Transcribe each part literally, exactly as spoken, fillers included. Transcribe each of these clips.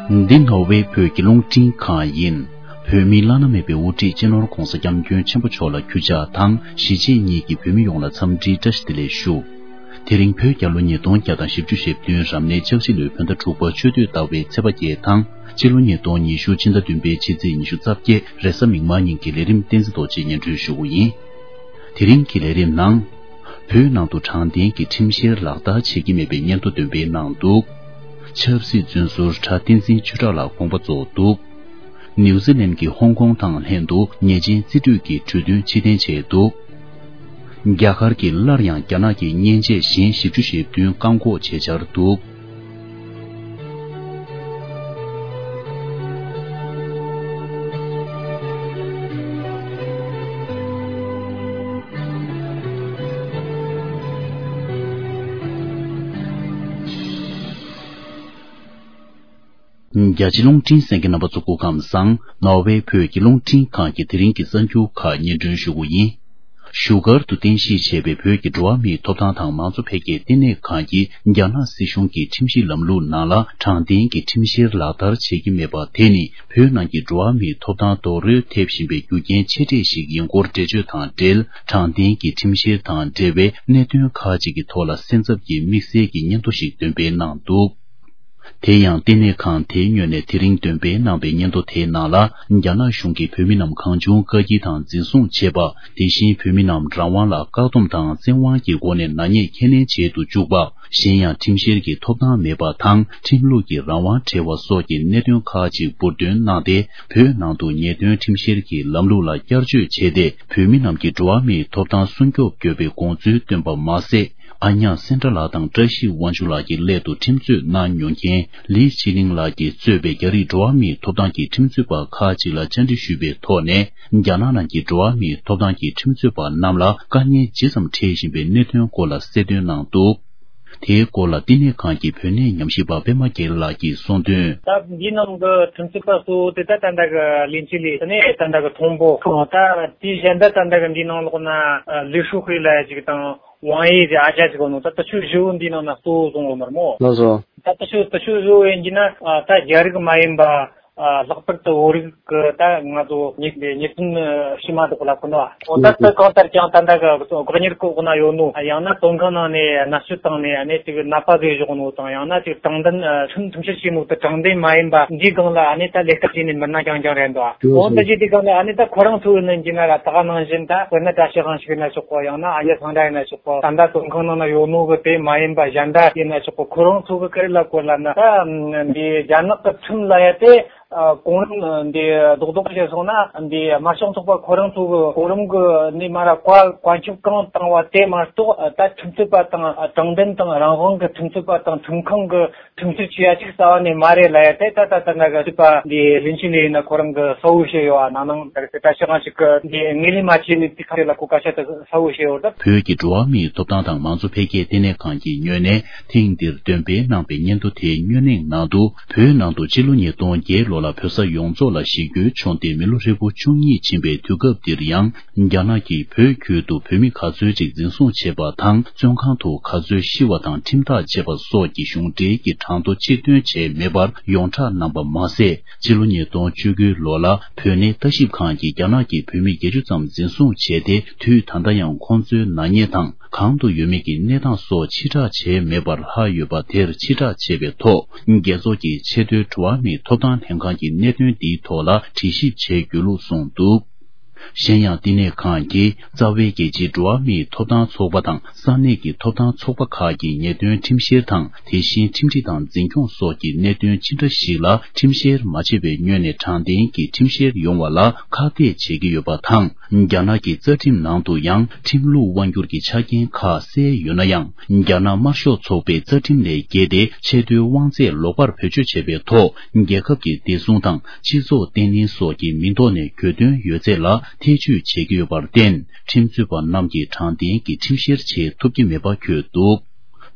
འདི་ནོར་ཝེ་བོད་ཀྱི་རླུང་འཕྲིན་ཁང་ཡིན། བོད་མིའི་བླ་ན་མེད་པའི་དབུ་ཁྲིད་སྤྱི་ནོར་༧གོང་ས་༧སྐྱབས་མགོན་ཆེན་པོ་མཆོག་ལ་གུས་ཕྱག་དང་གཞིས་བྱེས་གཉིས་ཀྱི་བོད་མི་ཡོངས་ལ་འཚམས་འདྲིའི་བཀྲ་ཤིས་བདེ་ལེགས་ཞུ། དེ་རིང་བོད་རྒྱལ་ལོ་ཉིས་སྟོང་བརྒྱ་དང་བཞི་བཅུ་ཞེ་བདུན་རབ་གནས་ལྕགས་བྱི་ལོའི་བོད་ཟླ་དྲུག་པ་ཆུ་སྟོད་ཟླ་བའི་ཚེས་པ་བརྒྱད་དང་སྤྱི་ལོ་ཉིས་སྟོང་ཉི་ཤུ་ཕྱི་ཟླ་བདུན་པའི་ཕྱི་ཚེས་ཉི་ཤུ་རྩ་བརྒྱད་རེས་གཟའ་མིག་དམར་ཉིན་གྱི་ལས་རིམ་བསྟན་འཛིན་རྡོ་རྗེས་སྙན་སྒྲོན་ཞུ་གི་ཡིན། དེ་རིང་གི་ལས་རིམ་ནང་། བོད་ནང་དུ་དྲང་བདེན་གྱི་ཁྲིམས་བཤེར་ལག་བསྟར་བྱེད་ཀྱི་མེད་པའི་སྙན་ཐོ་འདོན་སྤེལ་གནང་འདུག་ཆབ་སྲིད་བཙོན་ཟུར་གྲྭ་བསྟན་འཛིན་ཆོས་གྲགས་ལགས་དགོངས་པ་རྫོགས་འདུག་ནིའུ་ཛི་ལན་གྱིས་ཧོང་ཀོང་དང་ལྷན་དུ་ཉེས་ཅན་རྩིས་སྤྲོད་ཀྱི་གྲོས་མཐུན་ཕྱིར་འཐེན་བྱས་འདུག་རྒྱ་གར་གྱིས་སླར་ཡང་རྒྱ་ནག་གི་མཉེན་ཆས་གཞན་བཞི་བཅུ་ཞེ་བདུན་བཀག་འགོག་བྱས་འཆར་འདུག་རྒྱ་ཆེ་རླུང་འཕྲིན་གསན་མཁན་རྣམ་པ་ཚོ་སྐུ་ཁམས་བཟང་། ནོར་ཝེ་བོད་ཀྱི་རླུང་འཕྲིན་ཁང་གི་དེ་རིང་གི་གསར་འགྱུར་ཁག་སྙན་སྒྲོན་ཞུ་གི་ཡིན། བཞུགས་སྒར་དུ་རྟེན་གཞི་བྱས་པའི་བོད་ཀྱི་འགྲོ་བ་མིའི་ཐོབ་ཐང་དང་མང་གཙོ་འཕེལ་རྒྱས་ལྟེ་གནས་ཁང་གིས་རྒྱ་ནག་སྲིད་གཞུང་གི་ཁྲིམས་ཞིབ་ལམ་ལུགས་ནང་ལ་དྲང་བདེན་གྱི་ཁྲིམས་བཤེར་ལག་བསྟར་བྱེད་ཀྱི་མེད་པ་དེ་ནི་བོད་ནང་གི་འགྲོ་བ་མིའི་ཐོབ་ཐང་རྡོག་རོལ་ཐེབས་བཞིན་པའི་རྒྱུ་རྐྱེན་ཆེ་གྲས་ཤིག་ཡིན་སྐོར་འགྲེལ་བརྗོད་དང་འབྲེལ། དྲང་བདེན་གྱི་ཁྲིམས་བཤེར་དང་འབྲེལ་བའི་གནད་དོན་ཁག་ཅིག་གི་ཐོག་ལ་སེམས་འཚབ་ཀྱི་དམིགས་བསལ་གྱི་སྙན་ཐོ་ཞིག་འདོན་སྤེལ་གནང་འདུག་དེ་ཡང་ལྟེ་གནས་ཁང་དེའི་ངོས་ནས་དེ་རིང་འདོན་སྤེལ་གནང་པའི་སྙན་ཐོ་དེའི་ནང་ལ། རྒྱ་ནག་གཞུང་གིས་བོད་མི་རྣམས་གང་བྱུང་བཀག་སྐྱིལ་དང་འཛིན་བཟུང་བྱེད་པ། དེ་བཞིན་བོད་མི་རྣམས་རང་དབང་ལ་བཀག་སྡོམ་དང་བཙན་དབང་གི་སྒོ་ནས་ནག་ཉེས་ཁས་ལེན་བྱེད་དུ་བཅུག་པ། གཞན་ཡང་ཁྲིམས་བཤེར་གྱི་ཐོབ་ཐང་མེད་པ་དང་ཁྲིམས་ལུགས་ཀྱི་རང་དབང་བྲལ་བ་སོགས་ཀྱི་གནད་དོན་ཁག་ཅིག་འབུར་འདོན་གནང་སྟེ། བོད་ནང་དུ་ཉེས་དོན་ཁྲིམས་བཤེར་གྱི་ལམ་ལུགས་ལ་བསྐྱར་བཅོས་བྱས་ཏེ། བོད་མི་རྣམས་ཀྱི་འགྲོ་བ་མིའི་ཐོབ་ཐང་སྲུང་སྐྱོབ་དགོས་པའི་དགོངས་ཚུལ་བཏོན་པ་མ་ཟད། ཨ་ཉག་སེན་ཏྲ་ལགས་དང་བཀྲ་ཤིས་དབང་ཕྱུག་ལགས་ཀྱི་སླད་དུ་ཁྲིམས་རྩོད་གནང་མྱོང་མཁན་ལི་ཅི་ལིང་ལགས་ཀྱིས་གཙོས་པའི་རྒྱ་རིགས་འགྲོ་བ་མིའི་ཐོབ་ཐང་གི་ཁྲིམས་རྩོད་པ་ཁག་ཅིག་ལ་བཅར་འདྲི་ཞུས་པའི་ཐོག་ནས། རྒྱ་ནག་ནང་གི་འགྲོ་བ་མིའི་ཐོབ་ཐང་གི་ཁྲིམས་རྩོད་པ་རྣམས་ལ་དཀའ་ངལ་ཇི་ཙམ་འཕྲད་བཞིན་པའི་གནད་དོན་སྐོར་ལ་གསལ་སྟོན་གནང་འདུག་དེའི་སྐོར་ལ་བསྟི་གནས་ཁང་གི་བོད་གནས་ཉམས་ཞིབ་པ་པད་མ་རྒྱལ་ལགས་ཀྱིས་གསུངས་དོན། ད་འདིའི་ནང་གི་ཁྲིམས་རྩོད་པ་གཙོ་བོ་དེ་ད་ད་ལྟ་གི་ལིན་ཅི་ལི་ནས་ད་ལྟ་གི་ཐོང་པོ་ད་དེའི་གཞན་ད་ད་ལྟ་གི་འདིའི་ནང་ལོགས་ན་ལི་ཧྲུའུ་ཧུའེ་ལབ་ཡ་ཅིག་དང་། ཝང་ཡི་དེ་ཨ་ཅག་ཅིག་གོ་ནོ་ད་ད་ཆུ་བཞི་བོ་འདི་ནང་ན་གཙོ་བོ་བཟུང་བ་མར་མོ། ལགས་སོ། ད་ད་ཆུ་ད་ཆུ་བཞི་བོ་ཡིན་གྱི་ན་ཨ་ད་རྒྱ་རིགས་མ་ཡིན་པ་ཨ་ལྷག་པར་དུ་བོད་རིགས་ཀྱི་ད་ང་ཚོ་ཉེས་ཉེས་ཅན་ཕྱི་མ་དག་ལ་ཁོ་ན་འོ་ད་ད་གང་ལྟར་ཀྱང་ད་ད་གི་གོ་གཉེར་ཁོ་ཁོ་ན་ཡོད་ནོ། ཡང་ན་བཙོན་ཁང་ནང་ནས་མནར་གཅོད་བཏང་ནས་ཨ་ནི་ཅིག་ནད་པ་བཟོས་བཞག་ནོ་དང་ཡང་ན་ཅིག་དྲང་བདེན་ཁྲིམས་ཁྲིམས་བཤེར་བྱས་ནོ་ད་དྲང་བདེན་མ་ཡིན་པ་འདིའི་སྒང་ལ་ཨ་ནི་ད་ལས་ཀ་བྱས་ནས་མི་སྣ་རྐྱང་རྐྱང་རེད་འདུག་འོ་ད་ཅིག་དེ་སྒང་ལ་ཨ་ནི་ད་ཁོ་རང་ཚོ་ཡིན་གྱི་ན་ད་ག་ནང་བཞིན་ད་དཔེར་ན་བཀྲ་ཤིས་དབང་ཕྱུག་ཡིན་ན་ཆོག་གོ། ཡང་ན་ཨ་ཡེ་སངས་དྲག་ཡིན་ན་ཆོག་གོ། ད་ལྟ་བཙོན་ཁང་ནང་ན་ཡོད་ནོ་གི་དེ་མ་ཡིན་པ་གཞན་དག་ཡིན་ན་ཆོག་གོ། ཁོ་རང་ཚོ་གི་ཀ་རེ་ལ་གོ་ལ་ན་ད་འདི་རྒྱ་ནག་གི་ཁྲིམས་ལ་ཡ་དེ་གོང་རིམ་འདི་རྡོག་རྡོག་བྱས་སོང་ན་འདི་དམར་ཤོག་ཚོགས་པ་ཁོ་རང་ཚོ་གི་གོང་རིམ་གི་ནི་མ་ར་བཀའ་བཀའ་ཁྱབ་གང་བཏང་བ་དེ་མ་གཏོགས་ད་ཁྲིམས་རྩོད་པ་དང་དྲང་བདེན་དང་རང་དབང་གི་ཁྲིམས་རྩོད་པ་དང་ཁྲིམས་ཁང་གི་ཁྲིམས་རྩོད་བྱེད་ཡ་ཅིག་རྩ་བ་ནས་མ་རེད་ལ་ཡ་དེ་ད་ད་ད་ན་ག་སྲིད་པ་འདི་ལིན་ཅི་ལི་ཡིན་ན་ཁོ་རང་གི་གསལ་བོ་བཤད་ཡོད་ཨ། ནང་ནང་ད་ད་ཤི་གང་ཞིག་གི་འདི་ངོས་ལེན་མ་བྱས་ནས་དེ་ཁ་རེ་ལ་ཁོ་སྐད་ཆ་ད་གསལ་བོ་བཤད་ཡོད་ད། བོད་ཀྱི་འགྲོ་བ་མིའི་ཐོབ་ཐང་དང་མང་གཙོ་འཕེལ་རྒྱས་ལྟེ་གནས་ཁང་གི་ངོས་ནས་ཐེངས་འདིར་འདོན་སྤེལ་གནང་པའི་སྙན་ཐོ་དེའི་སྙན་ལེང་ནང་དུ། བོད་ནང་དུ་ཕྱི་ལོ་ཉིས་སྟོང་བརྒྱད་ལོ་ལ་བོད་ས་ཡོངས་རྫོགས་ལ་ཞི་རྒོལ་བྱུང་སྟེ་མི་ལོ་ཧྲིལ་པོ་བཅུ་གཉིས་ཕྱིན་པའི་དུས་སྐབས་འདིར་ཡང་། རྒྱ་ནག་གིས་བོད་ཁུལ་དུ་བོད་མི་ག་ཚོད་ཅིག་འཛིན་བཟུང་བྱས་པ་དང་བཙོན་ཁང་དུ་ག་ཚོད་ཤི་བ་དང་ཁྲིམས་ཐག་བཅད་པ་སོགས་ཀྱི་གཞུང་འབྲེལ་གྱི་གྲངས་ཐོ་ཕྱིར་འདོན་བྱས་མེད་པར་ཡོངས་གྲགས་གནང་པ་མ་ཟད། ཕྱི་ལོ་ཉིས་སྟོང་བཅུ་དགུ་ལོ་ལ་བོད་གནས་ལྟ་ཞིབ་ཁང་གིས་རྒྱ་ནག་གི་བོད་མི་བརྒྱད་ཅུ་ཙམ་འཛིན་བཟུང་བྱས་ཏེ། དུས་ད་ལྟ་ཡང་ཁོང་ཚོའི་ནག་ཉེས་དང་གང་དུ་ཡོད་མེད་ཀྱི་གནས་སྟངས་སོགས་ཕྱིར་བསྒྲགས་བྱས་མེད་པར་ལྷག་ཡོད་པ་དེར་ཕྱིར་བསྒྲགས་བྱས་པའི་ཐོག་རྒྱལ་ཚོགས་ཀྱི་ཆེས་མཐོའི་འགྲོ་བ་མིའི་ཐོབ་ཐང་ལྷན་ཁང་གི་གནད་དོན་འདིའི་ཐོག་ལ་དྲི་ཞིབ་བྱེད་དགོས་ལུགས་གསུངས་འདུག་གཞན་ཡང་། བསྟི་གནས་ཁང་གིས་རྩ་བའི་རྒྱལ་སྤྱིའི་འགྲོ་བ་མིའི་ཐོབ་ཐང་ཚོགས་པ་དང་ས་གནས་ཀྱི་ཐོབ་ཐང་ཚོགས་པ་ཁག་གིས་ཉེས་དོན་ཁྲིམས་བཤེར་དང་། དེ་བཞིན་ཁྲིམས་སྒྲིག་དང་འཛིན་སྐྱོང་སོགས་ཀྱི་གནད་དོན་ཅི་འདྲ་ཞིག་ལ་ཁྲིམས་བཤེར་མ་བྱས་པའི་ངོས་ནས་དྲང་བདེན་གྱི་ཁྲིམས་བཤེར་ཡོང་བ་ལ་ཁག་ཐེག་བྱེད་ཀྱི་ཡོད་པ་དང་། རྒྱ་ནག་གི་རྩ་ཁྲིམས་ནང་དུ་ཡང་ཁྲིམས་ལུགས་དབང་སྒྱུར་གྱི་ཆ་རྐྱེན་ཁག་གསལ་ཡོད་ན་ཡང་། རྒྱ་ནག་དམར་ཤོག་ཚོགས་པའི་རྩ་ཁྲིམས་ལས་འགལ་ཏེ་ཆེས་མཐོའི་དབང་ཚད་ལོག་པར་བེད་སྤྱོད་བྱས་པའི་ཐོག་རྒྱལ་ཁབ་ཀྱི་བདེ་སྲུང་དང་སྤྱི་ཚོགས་བརྟན་ལྷིང་སོགས་ཀྱི་མིང་ཐོག་ནས་གྱོད་དོན་ཡོད་ཚད་ལ་ཐེ་བྱུས་བྱེད་ཀྱི་ཡོད་པར་བརྟེན། ཁྲིམས་རྩོད་པ་རྣམས་ཀྱིས་དྲང་བདེན་གྱི་ཁྲིམས་བཤེར་བྱེད་ཐུབ་ཀྱི་མེད་པ་བཀོད་འདུག་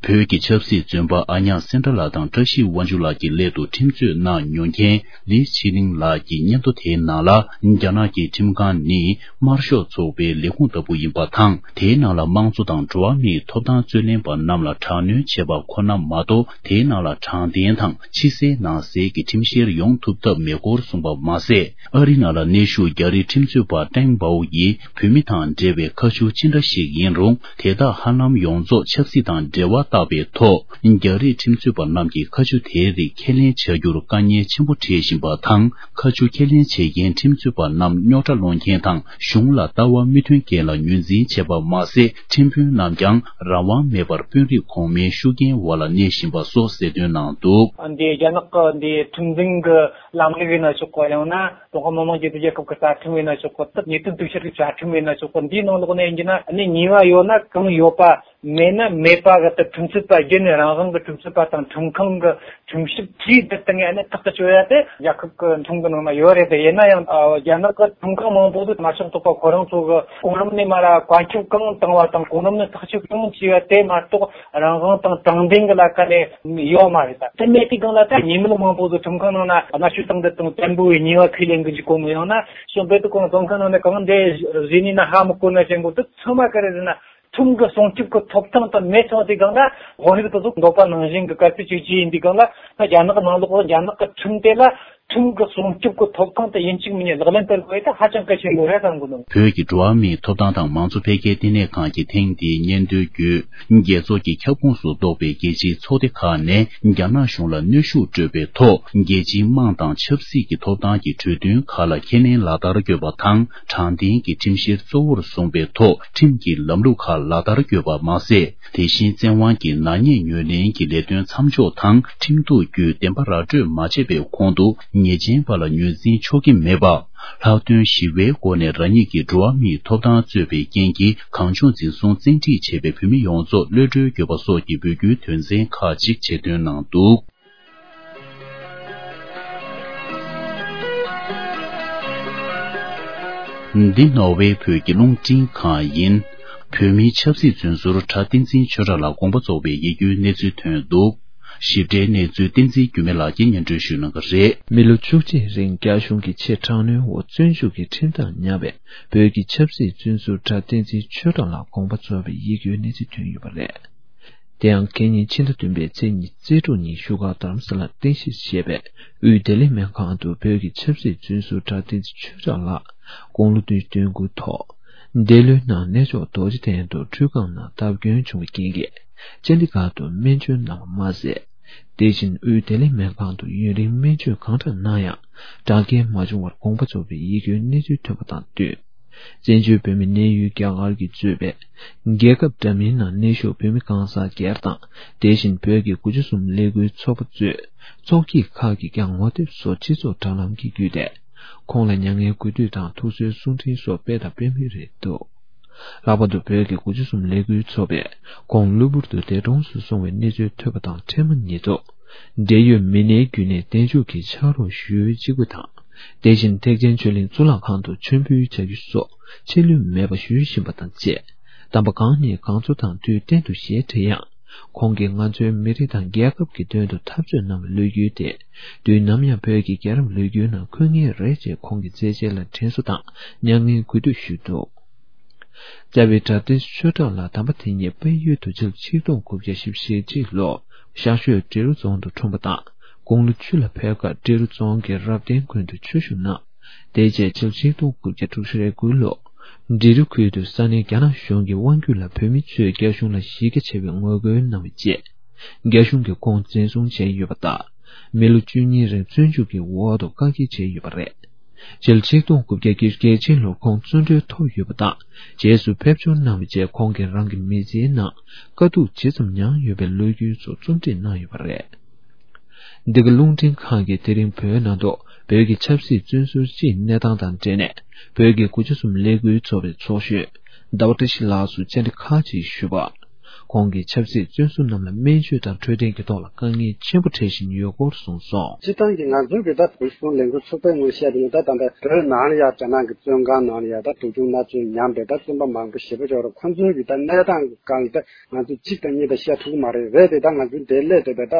བོད་ཀྱི་ཆབ་སྲིད་བཙོན་པ་ཨ་ཉག་སེན་དྲ་ལགས་དང་བཀྲ་ཤིས་དབང་ཕྱུག་ལགས་ཀྱི་སླད་དུ་ཁྲིམས་རྩོད་གནང་མྱོང་མཁན་ལི་ཆི་ལིང་ལགས་ཀྱི་སྙན་ཐོ་དེའི་ནང་ལ། རྒྱ་ནག་གི་ཁྲིམས་ཁང་ནི་དམར་ཤོག་ཚོགས་པའི་ལས་ཁུངས་ལྟ་བུ་ཡིན་པ་དང་། དེའི་ནང་ལ་དམངས་གཙོ་དང་འགྲོ་བ་མིའི་ཐོབ་ཐང་རྩོད་ལེན་པ་རྣམས་ལ་དྲག་གནོན་བྱས་པ་ཁོ་ན་མ་གཏོགས། དེའི་ནང་ལ་དྲང་བདེན་དང་ཕྱི་གསལ་ནང་གསལ་གྱི་ཁྲིམས་བཤེར་ཡོང་ཐུབ་ཐབས་མེད་སྐོར་གསུངས་པ་མ་ཟད། ཨ་རི་ནང་ལ་གནས་བཞུགས་རྒྱ་རིགས་ཁྲིམས་རྩོད་པ་ཀྲེང་པའོ་ཡིས། བོད་མི་དང་འབྲེལ་བའི་ཁ་མཆུ་ཅི་འདྲ་ཞིག་ཡིན་རུང་། དེ་དག་ཧ་ལམ་ཡོངས་རྫོགས་ཆབ་སྲིད་དང་འབྲེལ་བ་བཏགས་པའི་ཐོག་རྒྱ་རིགས་ཁྲིམས་རྩོད་པ་རྣམས་ཀྱིས་ཁ་མཆུ་དེའི་རིགས་ཁས་ལེན་བྱ་རྒྱུར་དཀའ་ངལ་ཆེན་པོ་འཕྲད་བཞིན་པ་དང་། ཁ་མཆུ་ཁས་ལེན་བྱེད་མཁན་ཁྲིམས་རྩོད་པ་རྣམས་རྙོག་དྲ་སློང་མཁན་དང་། གཞུང་ལ་ལྟ་བ་མི་མཐུན་མཁན་ལ་ངོས་འཛིན་བྱས་པ་མ་ཟད། ཁྲིམས་དཔོན་རྣམས་ཀྱང་རང་དབང་མེད་པར་དཔོན་རིགས་གོང་མའི་ཤུགས་རྐྱེན་འོག་ལ་གནས་བཞིན་པ་སོགས་གསལ་སྟོན་གནང་འདུག། འདི་རྒྱ་ནག་གི་འདི་ཁྲིམས་འཛིན་གྱི་ལམ་ལུགས་ཡིན་ན་ཆོག་གོ། ཡང་ན་ཀྲུང་ཧྭ་མི་དམངས་སྤྱི་མཐུན་རྒྱལ་ཁབ་ཀྱི་རྩ་ཁྲིམས་ཡིན་ན་ཆོག་གོ། ད་ཉེས་དོན་གཏུག་བཤེར་གྱི་བཅའ་ཁྲིམས་ཡིན་ན་ཆོག་གོ། འདིའི་ནང་ལོགས་ནས་ཡིན་གྱི་ན་ནི་ཉེས་པ་ཡོད་ན་གང་ཡོད་པ། མེད་ན་མེད་པ་གི་ད་ཁྲིམས་རྩོད་པ་བརྒྱུད་ནས་རང་དབང་གི་ཁྲིམས་རྩོད་པ་དང་ཁྲིམས་ཁང་གི་ཁྲིམས་ཞིབ་བྲིས་དེ་སྟེང་ནས་ཐག་གཅོད་ཡ་དེ་རྒྱལ་ཁབ་ཀྱི་ཁྲིམས་ཀྱི་ནང་ན་ཡོད་རེད། དེ་ཡིན་ན་ཡང་རྒྱ་ནག་གི་ཁྲིམས་ཁང་མང་པོ་དུ་མ་ཕྱོགས་གཏོགས་པ་ཁོ་རང་ཚོ་གི་གོང་རིམ་ནས་མར་བཀའ་ཁྱབ་གང་བཏང་བ་དང་གོང་རིམ་ནས་ཐག་གཅོད་གང་བྱས་པ་དེ་མ་གཏོགས་རང་དབང་དང་དྲང་བདེན་གྱི་ལ་ཁ་ནས་ཡོད་མ་རེད། ད་དེ་མེད་དུས་སྒང་ལ་ད་ཉེས་མེད་མང་པོ་དུ་ཁྲིམས་ཁང་ནང་ན་མནར་གཅོད་བཏང་དེ་དང་བཙན་པོའི་ཉེས་པ་ཁས་ལེན་གི་འཇུག་གོ་མི་ཡང་ན་གཞུང་དཔེ་དུ་གོང་བཙོན་ཁང་ནང་ནས་གང་འདྲ་བཟོས་ནས་ན་ཧ་མི་གོ་ན་ཅན་གོ་དུ་ཚང་མ་ག་རེ་རེད་ན། ཁྲིམས་ཀྱི་སྲུང་སྐྱོབ་ཀྱི་ཐོབ་ཐང་དང་མེད་སོང་དུས་སྒང་ལ་དབང་རིགས་དེ་ཚོ་འདོད་པ་ནང་བཞིན་གྱི་དཀར་སྤེལ་བྱེད་རྒྱུ་ཡིན་དུས་སྒང་ལ་ད་རྒྱ་ནག་ནང་ལོགས་རྒྱ་ནག་གི་ཁྲིམས་དེ་ལ་ཁྲིམས་ཀྱི་སྲུང་སྐྱོབ་ཀྱི་ཐོབ་ཐང་དེ་ཡིན་གཅིག་མིན་གཉིས་ལག་ལེན་བསྟར་དགོས་ཡ་དེ་ཧ་ཅང་གལ་ཆེན་པོ་རེད་བསམ་གི་འདུག། བོད་ཀྱི་འགྲོ་བ་མིའི་ཐོབ་ཐང་དང་མང་གཙོ་འཕེལ་རྒྱས་ལྟེ་གནས་ཁང་གིས་ཐེངས་འདིའི་སྙན་ཐོའི་བརྒྱུད། རྒྱལ་ཚོགས་ཀྱི་ཁྱབ་ཁོངས་སུ་གཏོགས་པའི་རྒྱལ་སྤྱིའི་ཚོགས་སྡེ་ཁག་ནས་རྒྱ་ནག་གཞུང་ལ་གནོན་ཤུགས་སྤྲོད་པའི་ཐོག་རྒྱལ་སྤྱིའི་དམངས་དང་ཆབ་སྲིད་ཀྱི་ཐོབ་ཐང་གི་གྲོས་མཐུན་ཁག་ལ་ཁས་ལེན་ལག་བསྟར་དགོས་པ་དང་། དྲང་བདེན་གྱི་ཁྲིམས་བཤེར་གཙོ་བོར་བཟུང་པའི་ཐོག་ཁྲིམས་ཀྱི་ལམ་ལུགས་ཁག་ལག་བསྟར་དགོས་པ་མ་ཟད། དེ་བཞིན་བཙན་དབང་གིས་ནག་ཉེས་ཉེས་ལེན་གྱི་ལས་དོན་མཚམས་འཇོག་དང་། ཁྲིམས་གཏུག་བརྒྱུད་བདེན་པ་ར་སྤྲོད་མ་བྱས་པའི་གོང་དུ་ཉེས་ཅན་པ་ལ་ངོས་འཛིན་ཆོག་གི་མེད་པ། ལྷག་དོན་ཞི་བའི་སྒོ་ནས་རང་ཉིད་ཀྱི་འགྲོ་བ་མིའི་ཐོབ་ཐང་རྩོད་པའི་རྐྱེན་གྱིས་གང་བྱུང་འཛིན་བཟུང་བཙན་ཁྲིད་བྱས་པའི་བོད་མི་ཡོངས་རྫོགས་གློད་གྲོལ་དགོས་པ་སོགས་ཀྱི་འབོད་སྐུལ་དོན་ཚན་ཁག་ཅིག་ཆེད་བཏོན་གནང་འདུག། འདི་ནོར་ཝེ་བོད་ཀྱི་རླུང་འཕྲིན་ཁང་ཡིན། བོད་མིའི་ཆབ་སྲིད་བཙོན་ཟུར་གྲྭ་བསྟན་འཛིན་ཆོས་གྲགས་ལགས་དགོངས་པ་རྫོགས་པའི་ཡིད་སྐྱོའི་གནས་ཚུལ་ཐོན་འདུག། ཞིབ་ཕྲའི་གནས་ཚུལ་བསྟན་འཛིན་འགྱུར་མེད་ལགས་ཀྱིས་སྙན་སྒྲོན་ཞུ་གནང་གི་རེད། མི་ལོ་བཅུ་གཅིག་རིང་རྒྱ་གཞུང་གི་ཆེས་དྲག་གནོན་འོག་བཙོན་འཇུག་གི་ཁྲིམས་ཐག་ཉར་བའི་བོད་ཀྱི་ཆབ་སྲིད་བཙོན་ཟུར་གྲྭ་བསྟན་འཛིན་ཆོས་གྲགས་ལགས་དགོངས་པ་རྫོགས་པའི་ཡིད་སྐྱོའི་གནས་ཚུལ་ཐོན་ཡོད་པ་རེད། དེ་ཡང་ཁེ་ཉིན་ཕྱི་ཟླ་བདུན་པའི་ཚེས་ཉི་ཤུ་རྩིས་དྲུག་ཉིན་བཞུགས་སྒར་རྡ་རམ་ས་ལར་རྟེན་གཞི་བྱས་པའི་དབུས་བདེ་ལེགས་སྨན་ཁང་དུ་བོད་ཀྱི་ཆབ་སྲིད་བཙོན་ཟུར་གྲྭ་བསྟན་འཛིན་ཆོས་གྲགས་ལགས་དགུང་ལོ་བདུན་ཅུ་དོན་དགུ་ཐོག་འདས་ལོའི་ནང་གནས་མཆོག་རྡོ་རྗེ་གདན་དུ་ཁྲུས་ཁང་ནང་སྟབས་སྐྱོན་བྱུང་བའི་རྐྱེན་གྱིས་ཅན་ཌི་གྷར་དུ་སྨན་བཅོས་གནང་བ་མ་ཟད། དེ་བཞིན་དབུས་བདེ་ལེགས་སྨན་ཁང་དུ་ཡུན་རིང་སྨན་བཅོས་གང་དྲག་གནང་ཡང་དྲག་སྐྱེན་མ་བྱུང་བར་དགོངས་པ་རྫོགས་པའི་ཡིད་སྐྱོའི་གནས་ཚུལ་ཐོན་པ་དང་བསྟུན། བཙན་བྱོལ་བོད་མིའི་གནས་ཡུལ་རྒྱ་གར་གྱིས་གཙོས་པའི་རྒྱལ་ཁབ་འདྲ་མིན་ནང་གནས་བཞུགས་བོད་མི་གང་ཟག་སྒེར་དང་། དེ་བཞིན་བོད་ཀྱི་དགུ་བཅུ་གསུམ་ལས་འགུལ་ཚོགས་པ་གཙོས་ཚོགས་སྐྱིད་ཁག་གིས་ཀྱང་ངོ་དེབ་སོགས་སྤྱི་ཚོགས་དྲ་ལམ་གྱི་བརྒྱུད་དེ། ཁོང་ལ་མྱ་ངན་གུས་འདུད་དང་ཐུགས་གསོའི་གསུང་འཕྲིན་སོགས་སྤེལ་དང་སྤེལ་མུས་རེད་འདུག། ལྷག་པར་དུ་བོད་ཀྱི་དགུ་བཅུ་གསུམ་ལས་འགུལ་ཚོགས་པས་ཁོང་གློ་བུར་དུ་འདས་གྲོངས་སུ་སོང་བའི་གནས་ཚུལ་ཐོས་པ་དང་འཕྲལ་མ་ཉིད་དུ། འབྲེལ་ཡོད་མི་སྣའི་བརྒྱུད་ནས་བདེ་མཆོག་གི་ཕྱག་རོགས་ཞུ་འོས་གཅིག་པུ་དང་། དེ་བཞིན་ཐེག་ཆེན་ཆོས་གླིང་གཙུག་ལག་ཁང་དུ་མཆོད་འབུལ་བྱ་རྒྱུ་སོགས་ཆད་ལུས་མེད་པ་ཞུ་བཞིན་པ་དང་བཅས། དམ་པ་གང་ཉིད་གང་ཚོ་དང་དུས་གཏན་དུ་ཞལ་བྲི་ཡང་། ཁོང་གིས་ང་ཚོའི་མི་རིགས་དང་རྒྱལ་ཁབ་ཀྱི་དོན་དུ་འཐབ་རྩོད་གནང་བའི་ལོ་རྒྱུས་དེ། དུས་ནམ་ཡང་བོད་ཀྱི་རྒྱལ་རབས་ལོ་རྒྱུས་ནང་འཁོད་ངེས་རེད་ཅེས་ཁོང་གི་མཛད་རྗེས་ལ་དྲན་གསོ་དང་མྱ་ངན་གུས་འདུད་ཞུས་འདུག། རྩ་བའི་གྲྭ་བསྟན་ཆོས་གྲགས་ལགས་དམ་པ་དེ་ཉིད་དཔལ་ཡུལ་དུ་ཕྱི་ལོ་ཆིག་སྟོང་དགུ་བརྒྱ་བཞི་བཅུ་ཞེ་གཅིག་ལོར་ཤར་ཕྱོགས་འབྲི་རུ་རྫོང་དུ་འཁྲུངས་པ་དང་། དགུང་ལོ་བཅུ་ལ་ཕེབས་སྐབས་འབྲི་རུ་རྫོང་གི་རབ་བརྟན་དགོན་དུ་ཆོས་ཞུགས་གནང་། དེ་རྗེས་ཕྱི་ལོ་ཆིག་སྟོང་དགུ་བརྒྱ་དྲུག་ཅུ་རེ་དགུ་ལོར་འབྲི་རུ་ཁུལ་དུ་ས་གནས་རྒྱ་ནག་གཞུང་གི་དབང་སྒྱུར་ལ་བོད་མི་ཚོས་རྒྱ་གཞུང་ལ་གཞི་རྒྱ་ཆེ་བའི་ངོ་རྒོལ་གནང་བའི་རྗེས། རྒྱ་གཞུང་གིས་ཁོང་འཛིན་བཟུང་བྱས་ཡོད་པ་དང་། མི་ལོ་བཅུ་གཉིས་རིང་བཙོན་འཇུག་གི་འོག་ཏུ་བཀག་སྐྱིལ་བྱས་ཡོད་པ་རེད། ཕྱི་ལོ་ཆིག་སྟོང་དགུ་བརྒྱ་བརྒྱད་ཅུ་གྱ་གཅིག་ལོར་ཁོང་བཙོན་གྲོལ་ཐོབ་ཡོད་པ་དང་། རྗེས་སུ་ཕེབས་འབྱོར་གནང་བའི་རྗེས་ཁོང་གིས་རང་གི་མི་ཚེའི་ནང་དཀའ་སྡུག་ཇི་ཙམ་མྱངས་ཡོད་པའི་ལོ་རྒྱུས་ཚོ་རྩོམ་སྒྲིག་གནང་ཡོད་པ་རེད། འདི་ག་རླུང་འཕྲིན་ཁང་གིས་དེ་རིང་བོད་ནང་དུ་བོད་ཀྱི་ཆབ་སྲིད་བཙོན་ཟུར་སྤྱིའི་གནས་སྟངས་དང་འབྲེལ་ནས། བོད་ཀྱི་དགུ་བཅུ་གསུམ་ལས་འགུལ་ཚོགས་པའི་ཚོགས་གཞོན་ཟླ་བ་བཀྲ་ཤིས་ལགས་སུ་བཅར་འདྲི་ཁག་ཅིག་ཞུས་པ། ཁོང་གིས་ཆབ་སྲིད་བཙོན་ཟུར་རྣམས་ལ་སྨན་བཅོས་དང་འཕྲོད་བསྟེན་གྱི་ཐོག་ལ་དཀའ་ངལ་ཆེན་པོ་འཕྲད་བཞིན་ཡོད་སྐོར་གསུངས་སོང་། སྤྱིར་བཏང་གི་ང་ཚོའི་གི་ད་བོད་གཞུང་ལས་འགུལ་ཚོགས་པའི་ངོས་བཤད་དེ་ནི་ད་ད་ལྟ་བོད་ནང་ལ་ཡ་རྒྱ་ནག་གི་བཙོན་ཁང་ནང་ལ་ཡ་ད་སྡུག་སྦྱོང་མནར་གཅོད་མྱངས་པའི་ད་བཙོན་པ་མང་པོ་ཞེ་པོ་ཅིག་ཡོད་རེད། ཁོང་ཚོའི་གི་ད་གནས་སྟངས་སྒང་ལ་ད་ང་ཚོས་གཅིག་དང་གཉིས་ད་བཤད་ཐུབ་ཀྱི་མ་རེད། རེད་དེ་ད་ང་ཚོའི་འདིར་སླེབས་བསྡད་པའི་ད་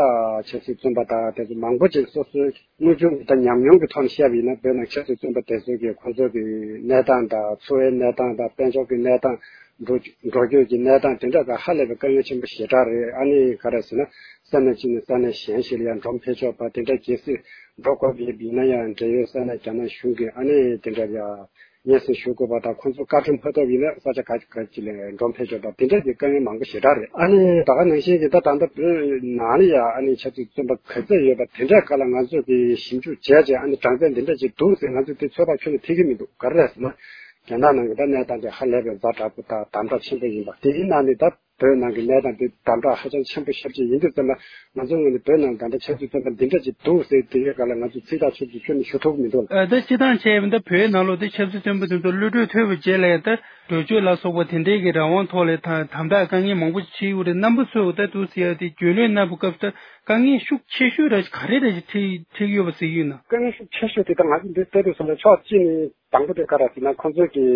ཆབ་སྲིད་བཙོན་པ་དང་དེ་ཚོ་མང་པོ་ཅིག་སོ་སོའི་དངོས་བྱུང་གི་ད་ཉམས་མྱོང་གི་ཐོག་ནས་བཤད་པ་ཡིན་ན། བོད་ནང་ཆབ་སྲིད་བཙོན་པ་དེ་ཚོ་གི་ཁོང་ཚོ་གི་གནས་སྟངས་དང་། འཚོ་བའི་གནས་སྟངས་དང་། དཔལ་འབྱོར་གྱི་གནས་སྟངས། འགྲོ་འགྲོ་སྐྱོད་ཀྱི་གནས་སྟངས་དེ་འདྲ་ག་ཧ་ལས་པའི་དཀའ་ངལ་ཆེན་པོ་ཞེ་དྲག་རེད། ཨ་ནི་ག་རེ་ཟེར་ན། ས་གནས་གཅིག་ནས་ས་གནས་གཞན་ཞིག་ལ་ཡང་འགྲོ་འཕེལ་ཕྱོགས་པ་དེ་འདྲ་གལ་སྲིད་འགྲོ་དགོས་པ་ཡིན་ན་ཡང་། འབྲེལ་ཡོད་ས་གནས་རྒྱ་ནག་གཞུང་གིས་ཨ་ནི་དེ་འདྲ་ཡང་སྙན་སེང་ཞུ་དགོས་པ་དང་། ཁོང་ཚོ་བཀའ་འཁྲོལ་མ་ཐོབ་པ་ཡིན་ན་ས་ཆ་ག་ག་ཅིག་ལ་འགྲོ་འཕེལ་ཕྱོགས་པ་དེ་འདྲ་གི་དཀའ་ངལ་མང་པོ་ཞེ་དྲག་རེད། ཨ་ནི་ད་ག་ནང་བཞིན་གྱི་ད་ད་ལྟ་བོད་ནང་ལ་ཡང་ཨ་ནི་ཆབ་སྲིད་བཙོན་པ་ག་ཚོད་ཡོད་པ་དེ་འདྲའི་སྐོར་ལ་ང་ཚོ་གིས་ཞིབ་འཇུག་བྱས་རྗེས། ཨ་ནི་གྲངས་ཚད་འདི་འདྲ་ཅིག་འདུག་ཟེར་ང་ཚོས་དེ་ཚོད་དཔག་ཁྱོན་ནས་ཐེབས་ཀྱི་མི་འདུག་ག་རེ་རེད་ཟེར་ན། རྒྱ་ནག་ནང་གི་ད་གནས་སྟངས་དེ་ཧ་ལས་པའི་ཛ་དྲག་པོ་དང་དམ་དྲག་ཆེན་པོ་ཡིན་པ། དེའི་ནང་ནས་ད་བོད་ནང་གི་གནས་སྟངས་དེ་དམ་དྲག་ཧ་ཅང་ཆེན་པོ་ཞེ་པོ་ཅིག་ཡིན་དུས་ཙམ་ལ། ང་ཚོའི་ངོས་ནས་བོད་ནང་ད་ལྟ་ཆབ་སྲིད་བཙོན་པ་འདི་འདྲ་ཅིག་འདུག་ཟེར་དེའི་སྒང་ལ་ང་ཚོས་ཚིག་ཐག་ཆོད་པོ་ཞིག་ཁྱོན་ནས་ཞུ་ཐུབ་ཀྱི་མི་འདུག་ལ། ཨ། ད་སྤྱིར་བཏང་བྱས་པ་ཡིན་ན་བོད་ནང་ལོགས་དེ་ཆབ་སྲིད་བཙོན་པ་དེ་ཚོ་གློད་གྲོལ་ཐོབ་པའི་རྗེས་ལ་ཡང་ད་འགྲོ་སྐྱོད་ལ་སོགས་པ་དེ་འདྲའི་གི་རང་དབང་ཐོག་ལ་ད་དམ་དྲག་དཀའ་ངལ་མང་པོ་ཞིག་འཕྲད་ཡོད་རེད། རྣམ་པ་ཚོས་ད་དུང་ཟེར་ཡ་དེ་རྒྱུས་ལོན་གནང་བའི་སྐབས་སུ་ད་དཀའ་ངལ་ཤུགས་ཆེ་ཤོས་ར་ག་རེ་ར་ཞིག་འཕྲད་འཕྲད་ཡོད་པ་ཟེར་ཡོད་ན། དཀའ་ངལ་ཤུགས་ཆེ་ཤོས་དེ་ད་ང་ཚོ་འདི་ལྟ་དུས་ཙམ་ལ་ཕྱོགས་གཅིག་ནས། དང་པོ་དེ་ག་རེ་ཟེར་ན། ཁོང་ཚོའི་གི་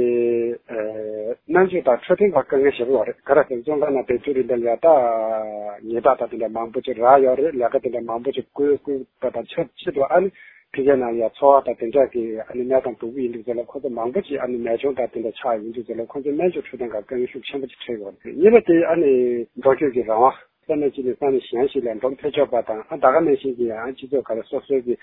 ཨ་སྨན་བཅོས་དང་འཕྲོད་བསྟེན་སྒང་དཀའ་ངལ་ཞེ་པོ་ཡོད་རེད། ག་རེ་ཟེར་ན། བཙོན་ཁང་ནང་བསྡད་དུས་རིང་དེ་ལ་ཡ་ད་ཉེས་པ་དང་དེ་འདྲ་མང་པོ་ཅིག་རག་ཡོད་རེད། ལས་ཀ་དེ་འདྲ་མང་པོ་ཅིག་བསྐུལ་བསྐུལ་བ་དང་ཆབས་ཅིག་ཏུ། ཨ་ནི་ཕ་གིའི་ནང་ལ་ཡ་འཚོ་བ་དང་དེ་འདྲ་གི་ཨ་ནི་གནས་སྟངས་སྡུག་པོ་ཡིན་དུས་ཙམ་ལ། ཁོང་ཚོ་མང་པོ་ཅིག་ཨ་ནི་ནད་གཅོང་དང་དེ་འདྲ་ཆགས་ཡོང་དུས་ཙམ་ལ། ཁོང་ཚོའི་སྨན་བཅོས་འཕྲོད་བསྟེན་སྒང་དཀའ་ངལ་ཤུགས་ཆེན་པོ་ཅིག་འཕྲད་ཡོད་རེད། གཉིས་པ་དེ་ཨ་ནི་འགྲོ་སྐྱོད་ཀྱི་རང་དབང་། ས་གནས་གཅིག་ནས་ས་གནས་གཞན་ཞིག་ལ་འགྲོ་འཕེལ་ཕྱོགས་པ་དང་། ཨ་ད་ག་ནང་བཞིན་གྱི་ཡང་སྤྱི་ཚོགས་ཁག་ལ་སོ་སོའི་གི་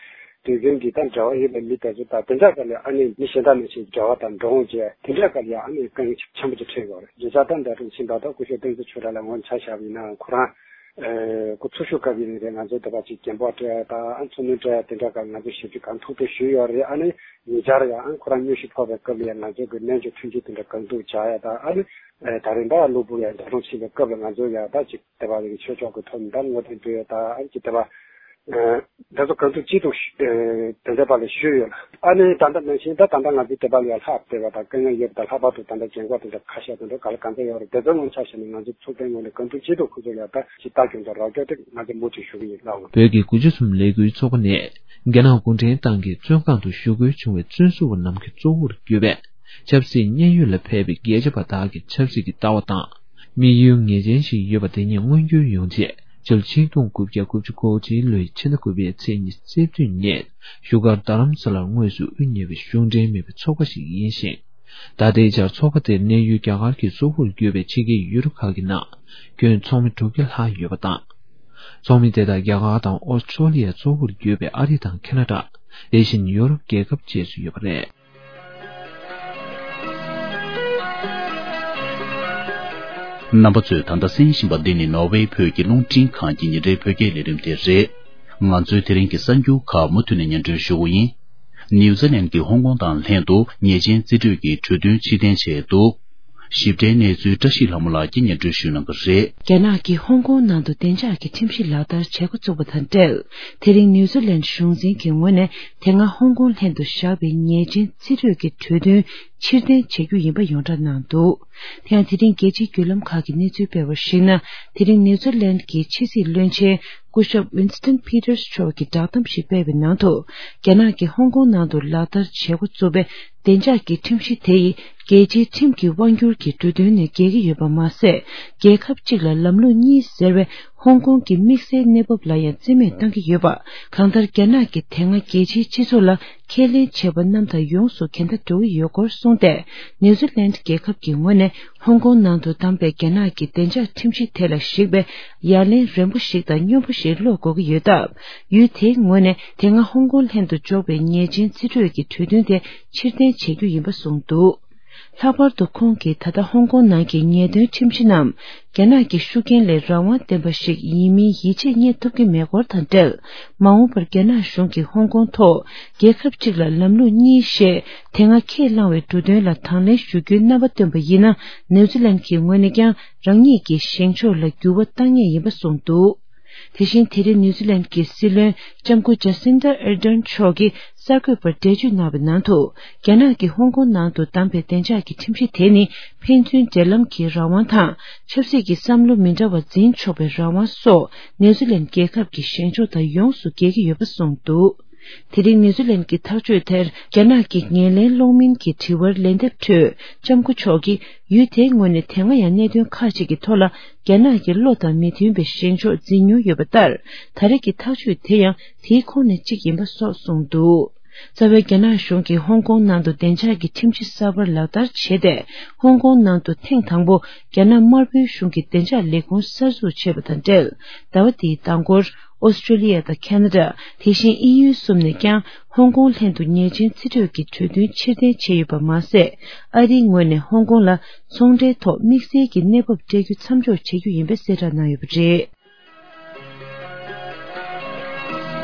དུས་རྒྱུན་གྱི་ད་འབྲེལ་བ་ཡོད་པའི་མི་དེ་ཚོ་དང་། དེ་འདྲ་སྒང་ལ་ཨ་ནི་མི་གཞན་དག་ནང་བཞིན་འབྲེལ་བ་དང་འགྲོ་འོང་བྱས། དེ་འདྲ་སྒང་ལ་ཨ་ནི་དཀའ་ངལ་ཆེན་པོ་ཅིག་འཕྲད་ཡོད་རེད། བརྗོད་བྱ་ད་འདི་རུ་ཕྱིན་པ་དང་སྐུ་ཞབས་བསྟན་འཛིན་ཆོས་གྲགས་ལགས་ངོ་མ་ཆ་བཞག་པ་ཡིན་ན། ཁོ་རང་ཨ་སྐུ་འཚོ་བཞུགས་སྐབས་ཡིན་ནའི་རེད། ང་ཚོའི་འདི་པར་ཅིག་རྒན་པོ་སྤྲད་ཡ་དང་། ཨ་འཚོ་སྣོན་སྤྲད་ཡ་དེ་འདྲ་སྒང་ང་ཚོས་ཞིབ་འཇུག་གང་ཐུབ་ཐུབ་ཞུས་ཡོད་རེད། ཨ་ནི་ཉེ་ཆར་ཡང་ཨ་ཁོ་རང་མངོན་ཤེས་ཕོག་པའི་སྐབས་ལ་ཡང་ང་ཚོ་གི་སྨན་བཅོས་མཐུན་རྐྱེན་དེ་འདྲ་གང་ཐུབ་བྱ་ཡ་དང་། ཨ་ནི་ཨ་ད་རིང་ད་གློ་བུར་ཡང་འདས་གྲོངས་ཕྱིན་པའི་སྐབས་ལ་ང་ཚོ་ཡང་ད་ཅིག་དེ་པར་ཡང་ཆོས་ཕྱོགས་ཀྱི་ཐོག་ནས་ད་བསྔོ་རྟེན་འབུལ་ཡ་དང་། ཨ་ནི་ཅིག་དེ་པར་ཨ་དེ་ཚོ་གང་ཐུབ་ཅི་ཐུབ་ཞུ་ཨ་དེ་འདྲ་པ་ལ་ཞུས་ཡོད་ལ། ཨ་ནི་ད་ལྟ་ནང་བཞིན་ད་ད་ལྟ་ང་ཚོ་དེ་པར་ལ་ཡང་ལྷག་བསྡད་པ་དང་དཀའ་ངལ་ཡོད་པ་དང་། ལྷག་པར་དུ་ད་ལྟ་རྒན་འཁོགས་དེ་འདྲ་ཁ་ཤས་དེ་འདྲ་ག་ལ་གང་འཚམ་ཡོད་རེད། དེ་ཚོའི་ངོ་མ་ཆ་བཞག་ན་ང་ཚོ་ཚོགས་པའི་ངོས་ནས་གང་ཐུབ་ཅི་ཐུབ་ཁོ་ཚོ་ལ་ཡང་ད་ཅིག་ལྟ་སྐྱོང་དང་རོགས་སྐྱོར་དེ་ང་ཚོ་མུ་མཐུད་ཞུ་གི་ཡིན་ལགས། བོད་ཀྱི་དགུ་བཅུ་གསུམ་ལས་འགུལ་ཚོགས་པ་ནས་རྒྱ་ནག་གུང་ཁྲན་ཏང་གི་བཙོན་ཁང་དུ་བཞུགས་སྒོའི་བྱུང་བའི་བཙོན་ཟུར་པ་རྣམས་ཀྱི་གཙོ་བོར་གྱུར་པའི་ཆབ་སྲིད་མཉན་ཡོད་ལ་ཕེབས་པའི་རྒྱལ་གཅེས་པ་དག་གི་ཆབ་སྲིད་ཀྱི་ལྟ་བ་དང་། དམིགས་ཡུལ་ངེས་ཅན་ཞིག་ཡོད་པ་དེ་ཉིད་མངོན་འགྱུར་ཡོང་ཆེད། སྤྱི་ལོ་ཆིག་སྟོང་དགུ་བརྒྱ་དགུ་བཅུ་གོ་གཅིག་ལོའི་ཕྱི་ཟླ་དགུ་པའི་ཚེས་ཉི་ཤུ་རྩ་བདུན་ཉིན་བཞུགས་སྒར་རྡ་རམ་ས་ལར་དངོས་སུ་དབུ་བརྙེས་པའི་གཞུང་འབྲེལ་མིན་པའི་ཚོགས་པ་ཞིག་ཡིན་ཞིང་། ད་ལྟའི་ཆར་ཚོགས་པ་དེར་གནས་ཡུལ་རྒྱ་གར་གྱི་གཙོ་བོར་གྱུར་པའི་ཕྱི་རྒྱལ་ཡུལ་གྲུ་ཁག་གི་ནང་ཁྱོན་ཚོགས་མི་དྲུག་བརྒྱ་ལྷག་ཡོད་པ་དང་། ཚོགས་མི་དེ་དག་རྒྱ་གར་དང་ཨོ་སི་ཀྲོ་ལི་ཡ་གཙོ་བོར་གྱུར་པའི་ཨ་རི་དང་ཁེ་ན་ཌ། དེ་བཞིན་ཡོ་རོབ་རྒྱལ་ཁབ་བཅས་སུ་ཡོད་པ་རེད། རྣམ་པ་ཚོས་ད་ལྟ་གསན་བཞིན་པ་འདི་ནི་ནོར་ཝེ་བོད་ཀྱི་རླུང་འཕྲིན་ཁང་གི་ཉིན་རེའི་བོད་སྐད་ལས་རིམ་དེ་རེད། ང་ཚོའི་དེ་རིང་གི་གསར་འགྱུར་ཁག་མུ་མཐུད་ནས་སྙན་སྒྲོན་ཞུ་གི་ཡིན། ནིའུ་ཛི་ལན་གྱིས་ཧོང་ཀོང་དང་ལྷན་དུ་ཉེས་ཅན་རྩིས་སྤྲོད་ཀྱི་གྲོས་མཐུན་ཕྱིར་འཐེན་བྱས་འདུག། ཞིབ་ཕྲའི་གནས་ཚུལ་བཀྲ་ཤིས་ལྷ་མོ་ལགས་ཀྱིས་སྙན་སྒྲོན་ཞུ་གནང་གི་རེད། རྒྱ་ནག་གིས་ཧོང་ཀོང་ནང་དུ་བདེ་འཇགས་ཀྱི་ཁྲིམས་གཞི་ལག་བསྟར་བྱེད་འགོ་བཙུགས་པ་དང་འབྲེལ། དེ་རིང་ནིའུ་ཛི་ལན་གཞུང་འཛིན་གྱི་ངོས་ནས་དེ་སྔ་ཧོང་ཀོང་ལྷན་དུ་བཞག་པའི་ཉེས་ཅན་རྩིས་སྤྲོད་ཀྱི་གྲོས་མཐུན་ཕྱིར་འཐེན་བྱེད་རྒྱུ་ཡིན་པ་ཡོངས་གྲགས་གནང་འདུག། དེ་ཡང་དེ་རིང་རྒྱལ་སྤྱིའི་བརྒྱུད་ལམ་ཁག་གིས་གནས་ཚུལ་སྤེལ་བར་གཞིགས་ན། དེ་རིང་ནིའུ་ཛི་ལན་གྱི་ཕྱི་སྲིད་བློན་ཆེན་སྐུ་ཞབས་ཝིན་སི་ཏོན་ཕི་ཏར་སི་མཆོག་གིས་བསྒྲགས་གཏམ་ཞིག་སྤེལ་བའི་ནང་དུ། རྒྱ་ནག་གིས་ཧོང་ཀོང་ནང་དུ་ལག་བསྟར་བྱེད་འགོ་བཙུགས་པའི་བདེ་འཇགས་ཀྱི་ཁྲིམས་གཞི་དེ་ཡིས་རྒྱལ་སྤྱིའི་ཁྲིམས་ཀྱི་དབང་སྒྱུར་གྱི་འབྲུ་དོན་ནས་འགལ་གྱི་ཡོད་པ་མ་ཟད། རྒྱལ་ཁབ་གཅིག་ལ་ལམ་ལུགས་གཉིས་ཟེར་བའི་ཧོང་ཀོང་གི་དམིགས་བསལ་གནས་བབ་ལ་ཡང་རྩིས་མེད་བཏང་གི་ཡོད་པ། གང་ལྟར་རྒྱ་ནག་གིས་དེ་སྔ་རྒྱལ་སྤྱིའི་སྤྱི་ཚོགས་ལ་ཁས་ལེན་བྱས་པ་རྣམས་དང་ཡོངས་སུ་གན་ད་འགྲོ་གི་ཡོད་སྐོར་གསུངས་ཏེ། ནིའུ་ཛི་ལན་རྒྱལ་ཁབ་ཀྱི་ངོས་ནས་ཧོང་ཀོང་ནང་དུ་བདམས་པའི་རྒྱ་ནག་གི་བདེ་འཇགས་ཁྲིམས་གཞི་དེ་ལ་གཞིགས་པའི་ཡ་ལན་རན་པོ་ཞིག་དང་སྙོམས་པོ་ཞིག་སློག་དགོས་ཀྱི་ཡོད་སྟབས། ཡུལ་དེའི་ངོས་ནས་དེ་སྔ་ཧོང་ཀོང་ལྷན་དུ་འཇོག་པའི་ཉེས་ཅན་རྩིས་སྤྲོད་ཀྱི་གྲོས་མཐུན་དེ་ཕྱིར་འཐེན་བྱེད་རྒྱུ་ཡིན་པ་གསུངས་འདུག། ལྷག་པར་དུ་ཁོང་གིས་ད་ལྟ་ཧོང་ཀོང་ནང་གི་ཉེས་དོན་ཁྲིམས་གཞི་རྣམས་རྒྱ་ནག་གི་ཤུགས་རྐྱེན་ལས་རང་དབང་ལྡན་པ་ཞིག་ཡིན་མིན་ཡིད་ཆེས་རྙེད་ཐུབ་ཀྱི་མེད་སྐོར་དང་འབྲེལ། མ་འོངས་པར་རྒྱ་ནག་གཞུང་གིས་ཧོང་ཀོང་ཐོག་རྒྱལ་ཁབ་གཅིག་ལ་ལམ་ལུགས་གཉིས་ཞེས་དེ་སྔ་ཁས་བླངས་པའི་འབྲུ་དོན་ལ་དང་ལེན་ཞུ་རྒྱུའི་རྣམ་པ་བཏོན་པ་ཡིན་ན། ནིའུ་ཛི་ལན་གྱི་ངོས་ནས་ཀྱང་རང་ཉིད་ཀྱི་བཞེངས་ཕྱོགས་ལ་འགྱུར་བ་གཏང་ངེས་ཡིན་པ་གསུངས་འདུག། དེ་བཞིན་དེ་རིང་ནིའུ་ཛི་ལན་གྱི་སྲིད་བློན་ལྕམ་སྐུ་ཇ་སིན་ཌ་ཨར་ཌན་མཆོག་གིས་གསར་འགོད་པར་འགྲེལ་བརྗོད་གནང་བའི་ནང་དུ། རྒྱ་ནག་གིས་ཧོང་ཀོང་ནང་དུ་བདམས་པའི་བདེ་འཇགས་ཀྱི་ཁྲིམས་གཞི་དེ་ནི་ཕན་ཚུན་འབྲེལ་ལམ་གྱི་རང་དབང་དང་། ཆབ་སྲིད་ཀྱི་བསམ་བློ་མི་འདྲ་བ་འཛིན་ཆོག་པའི་རང་དབང་སོགས་ནིའུ་ཛི་ལན་རྒྱལ་ཁབ་ཀྱི་བཞེངས་ཕྱོགས་དང་ཡོངས་སུ་འགལ་གྱི་ཡོད་པ་གསུངས་འདུག་དེ་རིང་ནིའུ་ཛི་ལན་གྱི་ཐག་གཅོད་དེར་རྒྱ་ནག་གི་ངོས་ལེན་གློག་བརྙན་གྱི་དྲི་བར་ལན་འདེབས་ཁྲོད། ལྕམ་སྐུ་མཆོག་གིས་ཡུལ་དེའི་ངོས་ནས་དེ་སྔ་ཡང་གནད་དོན་ཁག་ཅིག་གི་ཐོག་ལ་རྒྱ་ནག་གི་བློ་དང་མི་མཐུན་པའི་བཞེངས་ཕྱོགས་འཛིན་མྱོང་ཡོད་པ་ལྟར། ད་རེས་ཀྱི་ཐག་གཅོད་དེ་ཡང་དེའི་ཁོངས་ནས་གཅིག་ཡིན་པ་སོགས་གསུངས་འདུག་རྩ་བའི་རྒྱ་ནག་གཞུང་གིས་ཧོང་ཀོང་ནང་དུ་བདེ་འཇགས་ཀྱི་ཁྲིམས་གཞི་གསར་པ་ལག་བསྟར་བྱས་ཏེ། ཧོང་ཀོང་ནང་དུ་ཐེངས་དང་པོ་རྒྱ་ནག་དམར་པོའི་གཞུང་གིས་བདེ་འཇགས་ལས་ཁུངས་གསར་འཛུགས་བྱས་པ་དང་འབྲེལ། ཟླ་བ་འདིའི་མདང་སྐོར། ཨོ་སི་ཀྲི་ལི་ཡ་དང་ཁ་ན་ཌ། དེ་བཞིན་དབྱིན་ཡུལ་གསུམ་ནས་ཀྱང་ཧོང་ཀོང་ལྷན་དུ་ཉེས་ཅན་རྩིས་སྤྲོད་ཀྱི་གྲོས་མཐུན་ཕྱིར་འཐེན་བྱས་ཡོད་པ་མ་ཟད། ཨ་རིའི་ངོས་ནས་ཧོང་ཀོང་ལ་ཚོང་འབྲེལ་ཐོག་དམིགས་བསལ་གྱི་གནས་བབ་སྤྲད་རྒྱུ་མཚམས་འཇོག་བྱེད་རྒྱུ་ཡིན་པའི་གསལ་བསྒྲགས་གནང་ཡོད་པ་རེད།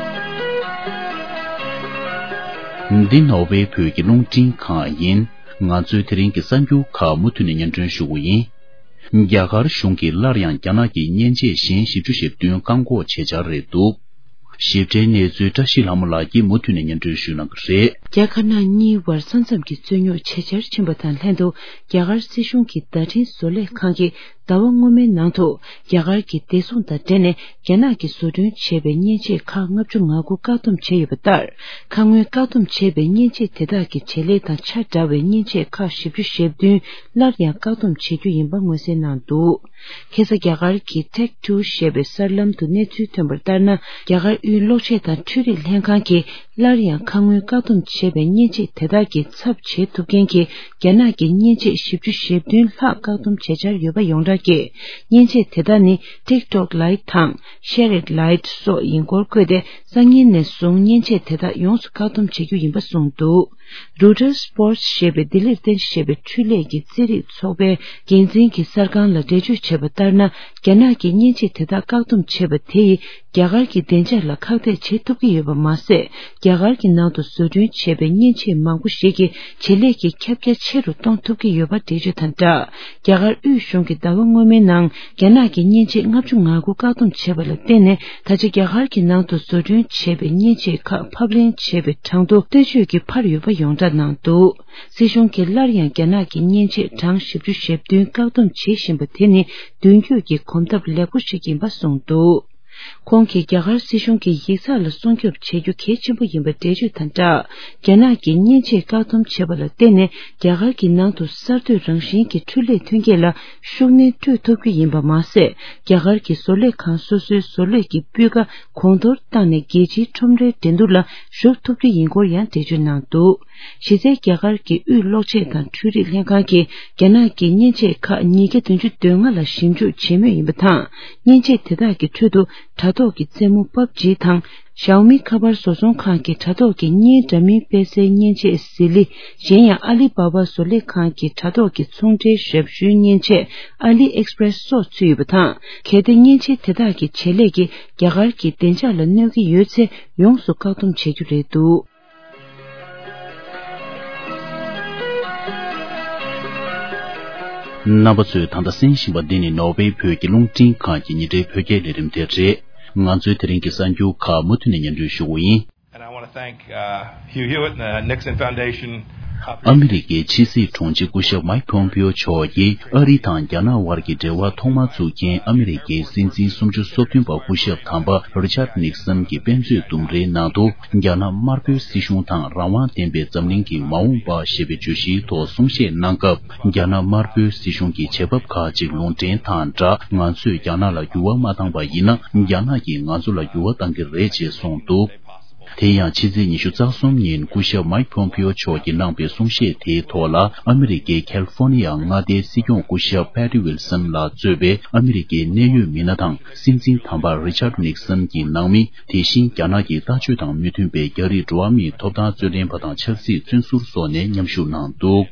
འདི་ནོར་ཝེ་བོད་ཀྱི་རླུང་འཕྲིན་ཁང་ཡིན། ང་ཚོའི་དེ་རིང་གི་གསར་འགྱུར་ཁག་མུ་མཐུད་ནས་སྙན་སྒྲོན་ཞུ་གི་ཡིན། རྒྱ་གར་གཞུང་གིས་སླར་ཡང་རྒྱ་ནག་གི་མཉེན་ཆས་གཞན་བཞི་བཅུ་ཞེ་བདུན་བཀག་འགོག་བྱེད་འཆར་རེད་འདུག་ཞིབ་ཕྲའི་གནས་ཚུལ་བཀྲ་ཤིས་ལྷ་མོ་ལགས་ཀྱིས་མུ་མཐུད་ནས་སྙན་སྒྲོན་ཞུ་གནང་གི་རེད། རྒྱ་དཀར་ནག་གཉིས་བར་ས་མཚམས་ཀྱི་རྩོད་རྙོག་ཇེ་ཆེར་ཕྱིན་པ་དང་ལྷན་དུ། རྒྱ་གར་སྲིད་གཞུང་གི་བརྡ་འཕྲིན་བཟོ་ལས་ཁང་གིས་ཟླ་བ་སྔོན་མའི་ནང་དུ། རྒྱ་གར་གྱི་བདེ་སྲུང་དང་འབྲེལ་ནས་རྒྱ་ནག་གིས་བཟོ་སྐྲུན་བྱས་པའི་མཉེན་ཆས་ཁག་ལྔ་བཅུ་ང་དགུ་བཀག་སྡོམ་བྱས་ཡོད་པ་ལྟར། ཁ་སྔོན་བཀག་སྡོམ་བྱས་པའི་མཉེན་ཆས་དེ་དག་གི་བྱེད་ལས་དང་ཆ་འདྲ་བའི་མཉེན་ཆས་ཁག་བཞི་བཅུ་ཞེ་བདུན་སླར་ཡང་བཀག་སྡོམ་བྱེད་རྒྱུ་ཡིན་པ་མངོན་གསལ་གནང་འདུག་ཁ་སང་རྒྱ་གར་གྱི་Tech Two ཞེས་པའི་གསར་ལམ་དུ་གནས་ཚུལ་ཐོན་པར་ལྟར་ན། རྒྱ་གར་དབུས་གློག་ཆས་དང་འཕྲུལ་རིག་ལྷན་ཁང་གིས་སླར་ཡང་ཁ་སྔོན་བཀག་སྡོམ་བྱས་པའི་མཉེན་ཆས་དེ་དག་གི་ཚབ་བྱེད་ཐུབ་མཁན་གྱི་རྒྱ་ནག་གི་མཉེན་ཆས་བཞི་བཅུ་ཞེ་བདུན་ལྷག་བཀག་སྡོམ་བྱེད་འཆར་ཡོད་པ་ཡོངས་གྲགས་ཀྱིས། མཉེན་ཆས་དེ་དག་ནི་TikTok Lite དང་Share It Lite སོགས་ཡིན་སྐོར་བཀོད་དེ། སང་ཉིན་ནས་བཟུང་མཉེན་ཆས་དེ་དག་ཡོངས་སུ་བཀག་སྡོམ་བྱེད་རྒྱུ་ཡིན་པ་གསུངས་འདུག Reuters Sports ཞེས་པའི་ལྡི་ལིར་རྟེན་གཞི་བྱས་པའི་འཕྲུལ་ལས་ཀྱི་རྩེད་རིགས་ཚོགས་པའི་འགན་འཛིན་གྱིས་གསར་ཁང་ལ་འགྲེལ་བརྗོད་བྱས་པ་ལྟར་ན། རྒྱ་ནག་གིས་མཉེན་ཆས་དེ་དག་བཀག་སྡོམ་བྱས་པ་དེ་ཡིས་རྒྱ་གར་གྱི་བདེ་འཇགས་ལ་ཁག་ཐེག་བྱེད་ཐུབ་ཀྱི་ཡོད་པ་མ་ཟད། རྒྱ་གར་གྱི་ནང་དུ་བཟོ་སྐྲུན་བྱས་པའི་མཉེན་ཆས་མང་པོ་ཞིག་གི་བྱེད་ལས་ཀྱི་ཁྱབ་རྒྱ་ཆེ་རུ་གཏོང་ཐུབ་ཀྱི་ཡོད་པ་འགྲེལ་བརྗོད་དང་སྦྲགས། རྒྱ་གར་དབུས་གཞུང་གིས་ཟླ་བ་སྔོན་མའི་ནང་རྒྱ་ནག་གི་མཉེན་ཆས་ལྔ་བཅུ་ང་དགུ་བཀག་སྡོམ་བྱས་པ་ལ་བརྟེན་ནས། ད་ཆ་རྒྱ་གར་གྱི་ནང་དུ་བཟོ་སྐྲུན་བྱས་པའི་མཉེན་ཆས་ཁག་ཕབ་ལེན་བྱས་པའི་གྲངས་ཐོ་ལྟོས་བཅོས་ཀྱིས་འཕར་ཡོད་པ་ཡོངས་གྲགས་གནང་འདུག་སྲིད་གཞུང་གིས་སླར་ཡང་རྒྱ་ནག་གི་མཉེན་ཆས་གྲངས་བཞི་བཅུ་ཞེ་བདུན་བཀག་སྡོམ་བྱེད་བཞིན་པ་དེ་ནི་མདུན་སྐྱོད་ཀྱི་གོམ་སྟབས་ལེགས་པོ་ཞིག་ཡིན་པ་གསུངས་འདུག་ཁོང་གིས་རྒྱ་གར་སྲིད་གཞུང་གི་ཡིག་ཚགས་ལ་སྲུང་སྐྱོབ་བྱེད་རྒྱུ་གལ་ཆེན་པོ་ཡིན་པ་འགྲེལ་བརྗོད་དང་སྦྲགས། རྒྱ་ནག་གིས་མཉེན་ཆས་བཀག་སྡོམ་བྱས་པ་ལ་བརྟེན་ནས། རྒྱ་གར་གྱི་ནང་དུ་གསར་གཏོད་རང་བཞིན་གྱི་འཕྲུལ་ལས་ཐོན་སྐྱེད་ལ་ཤུགས་སྣོན་སྤྲོད་ཐུབ་རྒྱུ་ཡིན་པ་མ་ཟད། རྒྱ་གར་གྱི་བཟོ་ལས་ཁང་སོ་སོའི་བཟོ་ལས་ཀྱི་སྤུས་ཀ་གོང་མཐོར་བཏང་ནས། རྒྱལ་སྤྱིའི་ཁྲོམ་རའི་འགྲན་བསྡུར་ལ་ཞུགས་ཐུབ་རྒྱུ་ཡིན་སྐོར་ཡང་འགྲེལ་བརྗོད་གནང་འདུག་གཞི་རྩའི་རྒྱ་གར་གྱི་དབུས་གློག་ཆས་དང་འཕྲུལ་རིག་ལྷན་ཁང་གིས། རྒྱ་ནག་གི་མཉེན་ཆས་ཁག་ཉིས་བརྒྱ་བདུན་ཅུ་དོན་ལྔ་ལ་ཞིབ་འཇུག་བྱེད་མུས་ཡིན་པ་དང་། མཉེན་ཆས་དེ་དག་གི་ཁྲོད་དུ་དྲ་ཐོག་གི་རྩེད་མོ་PUBG དང་། Xiaomi ཁ་པར་བཟོ་ཚོང་ཁང་གི་དྲ་ཐོག་གི་བརྙན་འདྲ་མིན་སྤེལ་སའི་མཉེན་ཆས་ཟི་ལི། གཞན་ཡང་ཨ་ལི་པ་པ་བཟོ་ལས་ཁང་གི་དྲ་ཐོག་གི་ཚོང་འབྲེལ་ཞབས་ཞུའི་མཉེན་ཆས་AliExpress སོགས་ཚུད་ཡོད་པ་དང་། གལ་ཏེ་མཉེན་ཆས་དེ་དག་གི་བྱེད་ལས་ཀྱིས་རྒྱ་གར་གྱི་བདེ་འཇགས་ལ་གནོད་ཀྱི་ཡོད་ཚེ། ཡོངས་སུ་བཀག་སྡོམ་བྱེད་རྒྱུ་རེད་འདུག་རྣམ་པ་ཚོས་ད་ལྟ་གསན་བཞིན་པ་འདི་ནི་ནོར་ཝེ་བོད་ཀྱི་རླུང་འཕྲིན་ཁང་གི་ཉིན་རེའི་བོད་སྐད་ལས་རིམ་དེ་རེད། ང་ཚོའི་དེ་རིང་གི་གསར་འགྱུར་ཁག་མུ་མཐུད་ནས་སྙན་སྒྲོན་ཞུ་གི་ཡིན། And I want to thank, uh, Hugh Hewitt and the Nixon Foundation. ཨ་མི་རི་ཀའི་ཕྱི་སྲིད་དྲུང་ཆེ་སྐུ་ཞབས་མའིག་ཕོམ་པིའོ་མཆོག་གིས་ཨ་རི་དང་རྒྱ་ནག་དབར་གྱི་འབྲེལ་བ་ཐོག་མར་བཙུགས་མཁན་ཨ་མི་རི་ཀའི་སྲིད་འཛིན་སུམ་ཅུ་སོ་བདུན་པ་སྐུ་ཞབས་དམ་པ་རི་ཆར་ནིག་སན་གྱི་དཔེ་མཛོད་ལྡུམ་རའི་ནང་དུ། རྒྱ་ནག་དམར་པོའི་སྲིད་གཞུང་དང་རང་དབང་ལྡན་པའི་འཛམ་གླིང་གི་མ་འོངས་པ་ཞེས་པའི་བརྗོད་གཞིའི་ཐོག་གསུང་བཤད་གནང་སྐབས། རྒྱ་ནག་དམར་པོའི་སྲིད་གཞུང་གི་བྱེད་བབ་ཁག་ཅིག་ལུང་འདྲེན་དང་སྦྲགས། ང་ཚོས་རྒྱ་ནག་ལ་འགྱུར་བ་མ་བཏང་པ་ཡིན་ན། རྒྱ་ནག་གིས་ང་ཚོ་ལ་འགྱུར་བ་བཏང་གི་རེད་ཅེས་གསུངས་འདུག་དེ་ཡང་ཕྱི་ཚེས་ཉི་ཤུ་རྩ་གསུམ་ཉིན་སྐུ་ཞབས་མའིག་ཕོམ་པིའོ་མཆོག་གིས་གནང་པའི་གསུང་བཤད་དེའི་ཐོག་ལ། ཨ་མི་རི་ཀའི་ཁལ་ཧྥོ་ནི་ཡ་མངའ་སྡེའི་སྲིད་སྐྱོང་སྐུ་ཞབས་ཕེ་ཏི་ཝིལ་སན་ལ་གཙོས་པའི་ཨ་མི་རི་ཀའི་གནད་ཡོད་མི་སྣ་དང་། སྲིད་འཛིན་དམ་པ་རི་ཆར་ནིག་སན་གྱི་ནང་མི། དེ་བཞིན་རྒྱ་ནག་གི་ལྟ་སྤྱོད་དང་མི་མཐུན་པའི་རྒྱ་རིགས་འགྲོ་བ་མིའི་ཐོབ་ཐང་རྩོད་ལྡན་པ་དང་ཆབ་སྲིད་བཙོན་ཟུར་སོགས་ནས་མཉམ་ཞུགས་གནང་འདུག་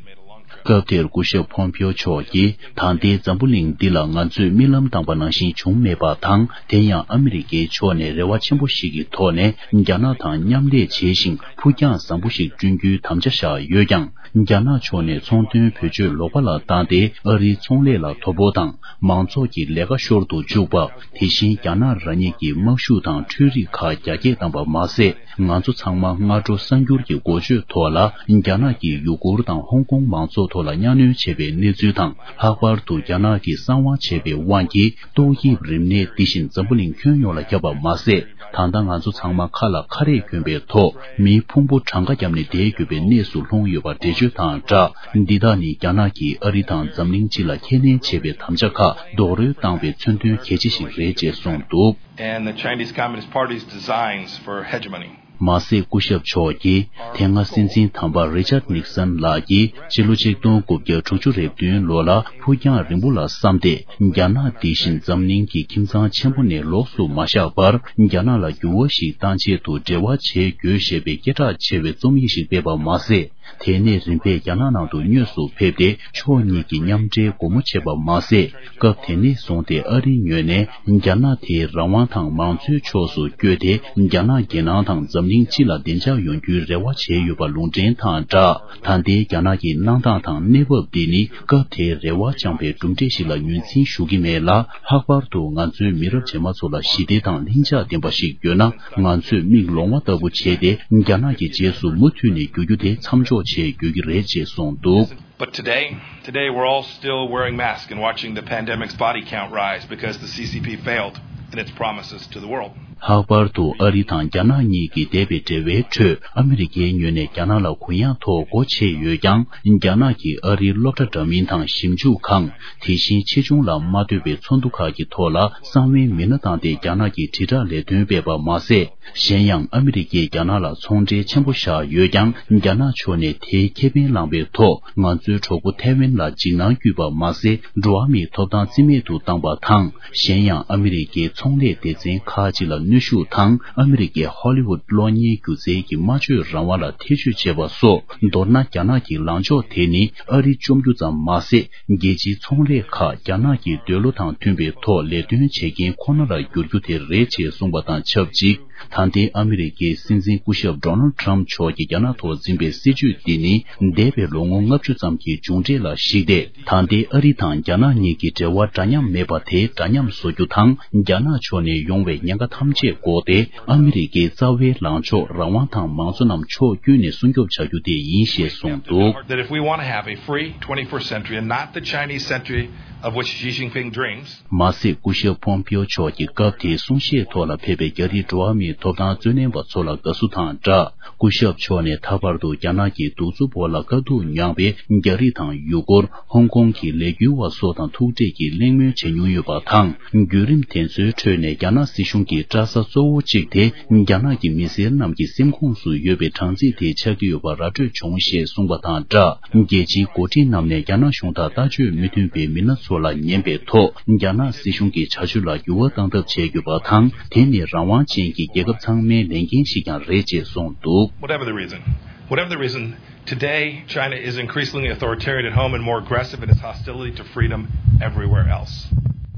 སྐབས་དེར་སྐུ་ཞབས་ཕོམ་པིའོ་མཆོག་གིས། ད་ལྟའི་འཛམ་བུ་གླིང་འདི་ལ་ང་ཚོས་རྨི་ལམ་བཏང་པ་ནང་བཞིན་བྱུང་མེད་པ་དང་། དེ་ཡང་ཨ་མི་རི་ཀའི་ཕྱོགས་ནས་རེ་བ་ཆེན་པོ་ཞིག་གི་ཐོག་ནས་རྒྱ་ནག་དང་མཉམ་ལས་བྱས་ཤིང་། ཕུགས་རྒྱང་བཟང་པོ་ཞིག་བསྐྲུན་རྒྱུའི་དམ་བཅའ་བཞག་ཡོད་ཀྱང་། རྒྱ་ནག་ཕྱོགས་ནས་ཚོང་དོན་བེད་སྤྱོད་ལོག་པ་ལ་བཏང་སྟེ། ཨ་རིའི་ཚོང་ལས་ལ་དོ་ཕོག་དང་། མང་ཚོགས་ཀྱི་ལས་ཀ་ཤོར་དུ་འཇུག་པ། དེ་བཞིན་རྒྱ་ནག་རང་ཉིད་ཀྱི་དམག་ཤུགས་དང་འཕྲུལ་རིག་ཁག་རྒྱ་སྐྱེད་བཏང་པ་མ་ཟད། ང་ཚོ་ཚང་མ་སྔ་དྲོ་གསར་འགྱུར་གྱི་འགོ་བརྗོད་ཐོག་ལ། རྒྱ་ནག་གིས་ཡུ་གུར་དང་ཧོང་ཀོང་མང་ཚོགས་ཐོག་ལ་གཉའ་གནོན་བྱས་པའི་གནས་ཚུལ་དང་། ལྷག་པར་དུ་རྒྱ་ནག་གིས་གསང་བ་བྱས་པའི་དབང་གིས། ཏོག་དབྱིབས་རིམས་ནད་འདི་བཞིན་འཛམ་བུ་གླིང་ཁྱོན་ཡོངས་ལ་ཁྱབ་པ་མ་ཟད། ད་ལྟ་ང་ཚོ་ཚང་མ་ཁ་ལ་ཁ་རས་གྱོན་པའི་ཐོག་མིའི་ཕུང་པོ་གྲངས་ཀ་བརྒྱབ་ནས་བསྡད་དགོས་པའི་གནས་སུ་ལྷུང་ཡོད་པ་འགྲེལ་བརྗོད་དང་སྦྲགས། འདི་དག་ནི་རྒྱ་ནག་གིས་ཨ་རི་དང་འཛམ་གླིང་སྤྱི་ལ་ཁས་ལེན་བྱས་པའི་དམ་བཅའ་ཁག་རྡོག་རོལ་བཏང་བའི་མཚོན་དོན་གལ་ཆེ་ཞིག་རེད་ཅེས་གསུངས་འདུག། And the Chinese Communist Party's designs for hegemony. མ་ཟད། སྐུ་ཞབས་མཆོག་གིས་དེ་སྔ་སྲིད་འཛིན་དམ་པ་རི་ཅར་ནིག་སན་ལགས་ཀྱིས་སྤྱི་ལོ་ཆིག་སྟོང་དགུ་བརྒྱ་དྲུག་ཅུ་རེ་བདུན་ལོ་ལ་ཕུགས་རྒྱང་རིང་པོ་ལ་བསམ་སྟེ། རྒྱ་ནག་དེ་བཞིན་འཛམ་གླིང་གི་ཁྱིམ་ཚང་ཆེན་པོ་ནས་ལོགས་སུ་མ་བཞག་པར། རྒྱ་ནག་ལ་འགྱུར་བ་ཞིག་བཏང་ཆེད་དུ་འབྲེལ་བ་བྱེད་དགོས་ཞེས་པའི་སྐད་གྲགས་ཆེ་བའི་རྩོམ་ཡིག་ཞིག་སྤེལ་བ་མ་ཟད། དེ་ནས་རིམ་པས་རྒྱ་ནག་ནང་དུ་དངོས་སུ་ཕེབས་ཏེ། ཕྱོགས་གཉིས་ཀྱི་མཉམ་འབྲེལ་སྒོ་མོ་ཕྱེ་བ་མ་ཟད། སྐབས་དེ་ནས་བཟུང་སྟེ་ཨ་རིའི་ངོས་ནས་རྒྱ་ནག་དེའི་རང་དབང་དང་མང་གཙོའི་ཕྱོགས་སུ་བསྐྱོད་དེ། རྒྱ་ནག་རྒྱལ་ནང་དང་འཛམ་གླིང་སྤྱི་ལ་བདེ་འཇགས་ཡོང་རྒྱུའི་རེ་བ་བྱས་ཡོད་པ་ལུང་འདྲེན་དང་སྦྲགས། ད་ལྟའི་རྒྱ་ནག་གི་གནས་སྟངས་དང་གནས་བབ་འདི་ནི། སྐབས་དེའི་རེ་བ་བཅངས་པའི་གྲུབ་འབྲས་ཤིག་ལ་ངོས་འཛིན་ཞུ་གི་མེད་ལ། ལྷག་པར་དུ་ང་ཚོའི་མི་རབས་རྗེས་མ་ཚོ་ལ་ཞི་བདེ་དང་ལྷིང་འཇགས་ལྡན་པ་ཞིག་དགོས་ན། ང་ཚོས་མིག་ལོང་བ་ལྟ་བུ་བྱས་ཏེ། རྒྱ་ནག་གི་རྗེས་སུ་མུ་མཐུད་ནས་རྒྱུག་རྒྱུ་དེ་མཚམས་འཇོག་བྱེད་དགོས་ཀྱི་རེད་ཅེས་གསུངས་འདུག། But today, today we're all still wearing masks and watching the pandemic's body count rise because the C C P failed in its promises to the world. ལྷག་པར་དུ་ཨ་རི་དང་རྒྱ་ནག་གཉིས་ཀྱི་འདས་པའི་འབྲེལ་བའི་ཁྲོད། ཨ་མི་རི་ཀའི་ངོས་ནས་རྒྱ་ནག་ལ་གུ་ཡངས་ཐོག་སྒོ་ཕྱེ་ཡོད་ཀྱང་། རྒྱ་ནག་གིས་ཨ་རིའི་སློབ་གྲྭ་འདྲ་མིན་དང་ཞིབ་འཇུག་ཁང་། དེ་བཞིན་ཆེ་ཆུང་ལ་མ་ལྟོས་པའི་ཚོགས་འདུ་ཁག་གི་ཐོག་ལ་གསང་བའི་མི་སྣ་བཏང་སྟེ། རྒྱ་ནག་གི་དྲིལ་བསྒྲགས་ལས་དོན་སྤེལ་བ་མ་ཟད། གཞན་ཡང་། ཨ་མི་རི་ཀས་རྒྱ་ནག་ལ་ཚོང་འབྲེལ་ཆེན་པོ་བཞག་ཡོད་ཀྱང་། རྒྱ་ནག་ཕྱོགས་ནས་དེའི་ཁེ་ཕན་བླངས་པའི་ཐོག་ང་ཚོའི་གྲོགས་པོ་ཐའེ་ཝན་ལ་འཇིགས་སྣང་བསྐུལ་བ་མ་ཟད། འགྲོ་བ་མིའི་ཐོབ་ཐང་རྩིས་མེད་དུ་བཏང་པ་དང་། གཞན་ཡང་། ཨ་མི་རི་ཀའི་ཚོང་ལས་སྡེ་ཚན་ཁག་ཅིག་ལ་གནོན་ཤུགས་དང་། ཨ་མི་རི་ཀའི་ཧོ་ལི་ཝུད་གློག་བརྙན་སྒྱུ་རྩལ་གྱི་སྨྲ་བརྗོད་རང་དབང་ལ་ཐེ་བྱུས་བྱས་པ་སོགས། མདོར་ན། རྒྱ་ནག་གི་ལངས་ཕྱོགས་དེ་ནི་ཨ་རི་བཅོམ་རྒྱུ་ཙམ་མ་ཟད། རྒྱལ་སྤྱིའི་ཚོང་ལས་ཁག་རྒྱ་ནག་གི་འདོད་བློ་དང་མཐུན་པའི་ཐོག་ལས་དོན་བྱེད་མཁན་ཁོ་ན་ལ་འགྱུར་རྒྱུ་དེ་རེད་ཅེས་གསུངས་པ་དང་ཆབས་ཅིག། ད་ལྟའི་ཨ་མི་རི་ཀའི་སྲིད་འཛིན་སྐུ་ཞབས་ཌོ་ནལ་ཌི་ཊརམ་ཕི་མཆོག་གིས་རྒྱ་ནག་ཐོག་འཛིན་པའི་སྲིད་བྱུས་འདི་ནི། འདས་པའི་ལོ་ངོ་ལྔ་བཅུ་ཙམ་གྱི་མཇུག་འབྲས་ལ་གཞིགས་ཏེ། ད་ལྟའི་ཨ་རི་དང་རྒྱ་ནག་གཉིས་ཀྱི་འབྲེལ་བ་འདྲ་མཉམ་མེད་པ་དེ་འདྲ་མཉམ་བཟོ་རྒྱུ་དང་། རྒྱ་ནག་ཕྱོགས་ནས་ཡོང་བའི་ཉེན་ཁ་ཐམས་ཅད་འགོག་སྟེ། ཨ་མི་རི་ཀའི་རྩ་བའི་ལངས་ཕྱོགས་རང་དབང་དང་མང་གཙོ་རྣམས་ཕྱོགས་ཀུན་ནས་སྲུང་སྐྱོབ་བྱ་རྒྱུ་དེ་ཡིན་ཞེས་གསུངས་འདུག། That if we want to have a free twenty-first century and not the Chinese century of which Xi Jinping dreams, མ་ཟད། སྐུ་ཞབས་ཕོམ་པིའོ་མཆོག་གིས་སྐབས་དེའི་གསུང་བཤད་ཐོག་ལ་ཕེབས་པའི་རྒྱ་རིགས་འགྲོ་བ་མིའི་ཐོབ་ཐང་རྩོད་ལེན་པ་ཚོ་ལ་དགའ་བསུ་དང་སྦྲགས། སྐུ་ཞབས་མཆོག་ནས་ད་བར་དུ་རྒྱ་ནག་གི་གདུག་རྩུབ་འོག་ལ་དཀའ་སྡུག་མྱངས་པའི་རྒྱ་རིགས་དང་ཡུ་གུར། ཧོང་ཀོང་གི་ལས་འགུལ་བ་སོགས་དང་ཐུག་འཕྲད་ཀྱིས་གླེང་མོལ་བྱེད་མྱོང་ཡོད་པ་དང་། བརྒྱུད་རིམ་དེ་ཚོའི་ཁྲོད་ནས་རྒྱ་ནག་སྲིད་གཞུང་གི་སྐྲག་ས་གཙོ་བོ་གཅིག་དེ། རྒྱ་ནག་གི་མི་སེར་རྣམས་ཀྱི་སེམས་ཁོངས་སུ་ཡོད་པའི་སྦྲང་རྩི་དེ་ཆགས་ཀྱི་ཡོད་པ་ར་སྤྲོད་བྱུང་ཞེས་གསུངས་པ་དང་སྦྲགས། རྒྱལ་སྤྱིའི་འགོ་ཁྲིད་རྣམས་ནས་རྒྱ་ནག་གཞུང་དང་ལྟ་སྤྱོད་མི་མཐུན་པའི་མི་སྣ་ཚོ་ལ་ཉན་པའི་ཐོག་རྒྱ་ནག་སྲིད་གཞུང་གི་བྱ་སྤྱོད་ལ་འགྱུར་བ་གཏང་ཐབས་བྱེད་དགོས་པ་དང་། དེ་ནི་རང་དབང་ཅན་གྱི་རྒྱལ་ཁབ་ཚང་མའི་ལས་འགན་ཞིག་ཀྱང་རེད་ཅེས་གསུངས་འདུག། Whatever the reason, whatever the reason, today China is increasingly authoritarian at home and more aggressive in its hostility to freedom everywhere else.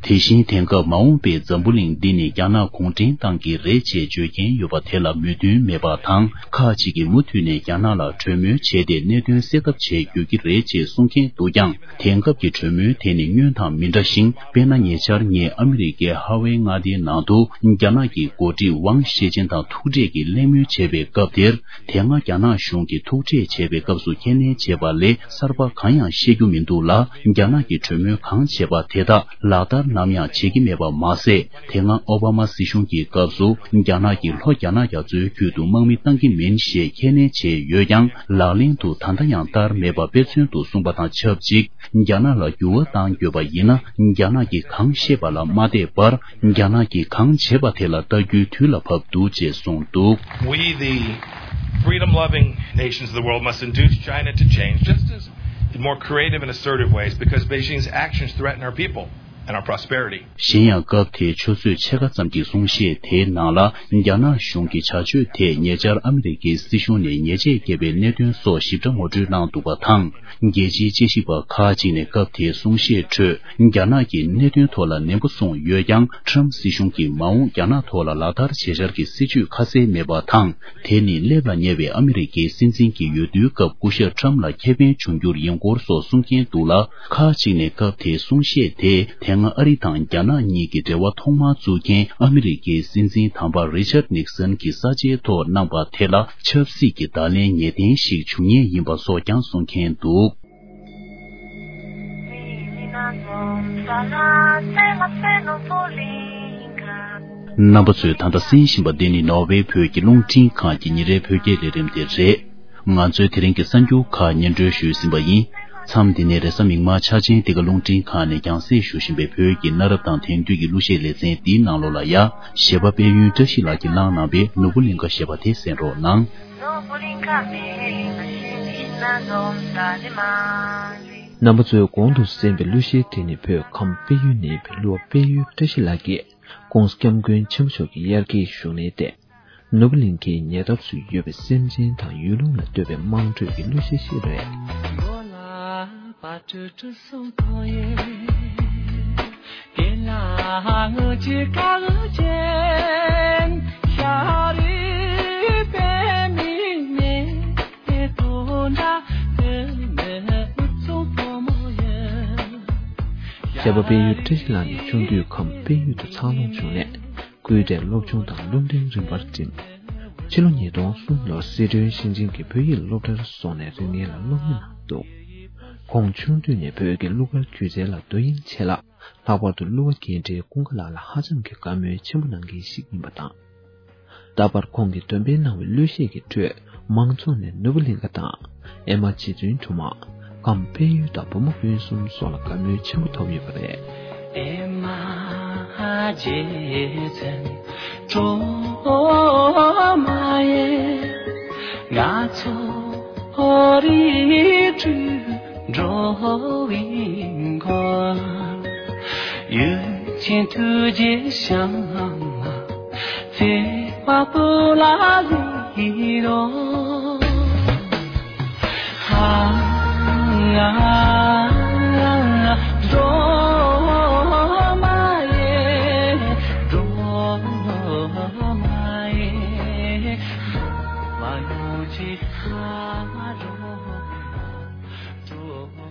དེ་བཞིན་དེང་སྐབས་མ་འོངས་པའི་འཛམ་བུ་གླིང་འདི་ནི་རྒྱ་ནག་གུང་ཁྲན་ཏང་གི་རེད་ཅེས་བརྗོད་མཁན་ཡོད་པ་དེ་ལ་མོས་མཐུན་མེད་པ་དང་། ཁག་ཅིག་གིས་མུ་མཐུད་ནས་རྒྱ་ནག་ལ་གྲོས་མོལ་བྱས་ཏེ་གནད་དོན་སེལ་ཐབས་བྱེད་དགོས་ཀྱི་རེད་ཅེས་གསུང་མཁན་འདུག་ཀྱང་། དེང་སྐབས་ཀྱི་གྲོས་མོལ་དེ་ནི་སྔོན་དང་མི་འདྲ་ཞིང་། དཔེར་ན། ཉེ་ཆར་ངས་ཨ་མི་རི་ཀའི་ཧ་ཝེ་མངའ་སྡེའི་ནང་དུ་རྒྱ་ནག་གི་འགོ་ཁྲིད་ཝང་ཞེ་ཅིན་དང་ཐུག་འཕྲད་ཀྱིས་གླེང་མོལ་བྱས་པའི་སྐབས་དེར། དེ་སྔ་རྒྱ་ནག་གཞུང་གིས་ཐུག་འཕྲད་བྱས་པའི་སྐབས་སུ་ཁས་ལེན་བྱས་པ་ལས་གསར་པ་གང་ཡང་བཤད་རྒྱུ་མི་འདུག་ལ། རྒྱ་ནག་གིས་གྲོས་མོལ་གང་བྱས་པ་དེ་དག་ལག་བསྟར་ནམ་ཡང་བྱེད་ཀྱི་མེད་པ་མ་ཟད། དེ་སྔ་ཨོ་བྷ་མ་སྲིད་གཞུང་གི་སྐབས་སུ་རྒྱ་ནག་གིས་ལྷོ་རྒྱ་ནག་རྒྱ་མཚོའི་ཁུལ་དུ་དམག་མི་བཏང་གི་མིན་ཞེས་ཁས་ལེན་བྱས་ཡོད་ཀྱང་། ལག་ལེན་དུ་ད་ལྟ་ཡང་བསྟར་མེད་པ་དཔེ་མཚོན་དུ་གསུངས་པ་དང་ཆབས་ཅིག་རྒྱ་ནག་ལ་འགྱུར་བ་གཏང་དགོས་པ་ཡིན་ན། རྒྱ་ནག་གིས་གང་བཤད་པ་ལ་མ་བལྟས་པར། རྒྱ་ནག་གིས་གང་བྱས་པ་དེ་ལ་ལྟ་རྒྱུའི་དུས་ལ་བབ་འདུག་ཅེས་གསུངས་འདུག། We, the freedom-loving nations of the world, must induce China to change, just as in more creative and assertive ways, because Beijing's actions threaten our people. and our prosperity. གཞན་ཡང་སྐབས་དེའི་ཆུ་ཚོད་ཕྱེད་ཀ་ཙམ་གྱི་གསུང་བཤད་དེའི་ནང་ལ། རྒྱ་ནག་གཞུང་གི་བྱ་སྤྱོད་དེས་ཉེ་ཆར་ཨ་མི་རི་ཀའི་སྲིད་གཞུང་ནས་ཉེས་ཆད་བཀལ་བའི་གནད་དོན་སོགས་ཞིབ་ཕྲ་ངོ་སྤྲོད་གནང་འདུག་པ་དང་། རྒྱལ་སྤྱིའི་དཔྱད་ཞིབ་པ་ཁག་ཅིག་ནས་སྐབས་དེའི་གསུང་བཤད་ཁྲོད། རྒྱ་ནག་གིས་གནད་དོན་ཐོག་ལ་ནན་པོ་གསུངས་ཡོད་ཀྱང་། ཊམ་སྲིད་གཞུང་གིས་མ་འོངས་རྒྱ་ནག་ཐོག་ལ་ལག་བསྟར་བྱེད་འཆར་གྱི་སྲིད་ཇུས་ཁ་གསལ་མེད་པ་དང་། དེ་ནི་སླེབས་ལ་ཉེ་བའི་ཨ་མི་རི་ཀའི་སྲིད་འཛིན་གྱི་འོས་བསྡུའི་སྐབས་སྐུ་ཞབས་ཊམ་ལ་ཁེ་ཕན་འབྱུང་འགྱུར་ཡིན་སྐོར་སོགས་གསུང་མཁན་འདུག་ལ། ཁག་ཅིག་ནས་སྐབས་དེའི་གསུང་བཤད་དེ། དེ་སྔ་ཨ་རི་དང་རྒྱ་ནག་གཉིས་ཀྱི་འབྲེལ་བ་ཐོག་མར་བཙུགས་མཁན་ཨ་མི་རི་ཀའི་སྲིད་འཛིན་དམ་པ་རི་ཆར་ནིག་སན་གྱི་ས་ཆའི་ཐོག་གནང་པ་དེ་ལ་ཆབ་སྲིད་ཀྱི་བརྡ་ལན་ངེས་གཏན་ཞིག་འབྱུང་ངེས་ཡིན་པ་སོགས་ཀྱང་གསུང་མཁན་འདུག། རྣམ་པ་ཚོས་ད་ལྟ་གསན་བཞིན་པ་འདི་ནི་ནོར་ཝེ་བོད་ཀྱི་རླུང་འཕྲིན་ཁང་གི་ཉིན་རེའི་བོད་སྐད་ལས་རིམ་དེ་རེད། ང་ཚོའི་དེ་རིང་གི་གསར་འགྱུར་ཁག་སྙན་སྒྲོན་ཞུས་ཟིན་པ་ཡིན། མཚམས་འདི་ནས་རེས་གཟའ་མིག་དམར་འཆར་ཅན་འདི་ག་རླུང་འཕྲིན་ཁང་ནས་རྒྱང་སྲིང་ཞུ་བཞིན་པའི་བོད་ཀྱི་གནའ་རབས་དང་དེང་དུས་ཀྱི་གླུ་གཞས་ལེ་ཚན་འདིའི་ནང་ལོགས་ལ་ཡ། གཞས་པ་དཔལ་ཡུལ་བཀྲ་ཤིས་ལགས་ཀྱིས་བླངས་གནང་བའི་ནོར་བུ་གླིང་ཁ་ཞེས་པ་དེ་གསན་རོགས་གནང་། རྣམ་པ་ཚོས་གོང་དུ་གསན་པའི་གླུ་གཞས་དེ་ནི་བོད་ཁམས་དཔལ་ཡུལ་ནས་ཕེབས་གླུ་བ་དཔལ་ཡུལ་བཀྲ་ཤིས་ལགས་ཀྱིས་༸གོང་ས་༸སྐྱབས་མགོན་ཆེན་པོ་མཆོག་གི་དབྱར་སྐྱེས་བཞུགས་གནས་ཏེ། ནོར་བུ་གླིང་ཁའི་ཉེ་འདབས་སུ་ཡོད་པའི་སེམས་ཅན་དང་ཡུལ་ལུང་ལ་བསྟོད་པའི་དམངས་ཁྲོད་ཀྱི་གླུ་གཞས་ཤིག་རེད། གཞས་པ་དཔལ་ཡུལ་བཀྲ་ཤིས་ལགས་ནི་ཆུང་དུས་ཁམས་དཔལ་ཡུལ་དུ་འཚར་ལོངས་བྱུང་ནས། སྐུལ་འདེད་སློབ་སྦྱོང་དང་སློབ་འབྲིང་རིམ་པར་འགྲིམས། ཕྱི་ལོ་ཉིས་སྟོང་གསུམ་ལོར་སི་ཁྲོན་ཞིང་ཆེན་གྱི་བོད་ཡིག་སློབ་གྲྭར་སོང་ནས་རིག་གནས་ལ་སློབ་གཉེར་གནང་འདུག། ཁོང་ཆུང་དུས་ནས་བོད་ཀྱི་གླུ་གར་སྒྱུ་རྩལ་ལ་དོ་དབྱིངས་ཆེ་ལ། ལྷག་པར་དུ་གླུ་བ་རྒན་གྲས་ཀུན་དགའ་ལགས་ལ་ཧ་ཅང་གི་བཀའ་མོལ་ཆེན་པོ་གནང་མཁན་ཞིག་ཡིན་པ་དང་། ད་བར་ཁོང་གིས་འདོན་སྤེལ་གནང་བའི་གླུ་གཞས་ཀྱི་ཁྲོད་མང་ཚོགས་ནས་ནོར་བུ་གླིང་ཁ་དང་། ཨེ་མ་རྗེ་བཙུན་སྒྲོལ་མ། ཁམས་དཔལ་ཡུལ་དང་བུ་མོ་དཔོན་གསུམ་སོགས་ལ་བཀའ་མོལ་ཆེན་པོ་ཐོབ་ཡོད་པ་རེད། ཨེ་མ་རྗེ་བཙུན་སྒྲོལ་མ་ཡིས། ང་ཚོ་རིགས་དྲུག་འགྲོ་བའི་མགོན། ཡུམ་ཆེན་ཐུགས་རྗེའི་ཞབས་ལ། བརྩེ་བ་སྤུ་ལ་ལྷོད་རོགས། ཧ་ང་སྒྲོལ་མ་ཡེ། སྒྲོལ་མ་ཡེ། སྒྲོལ་མ་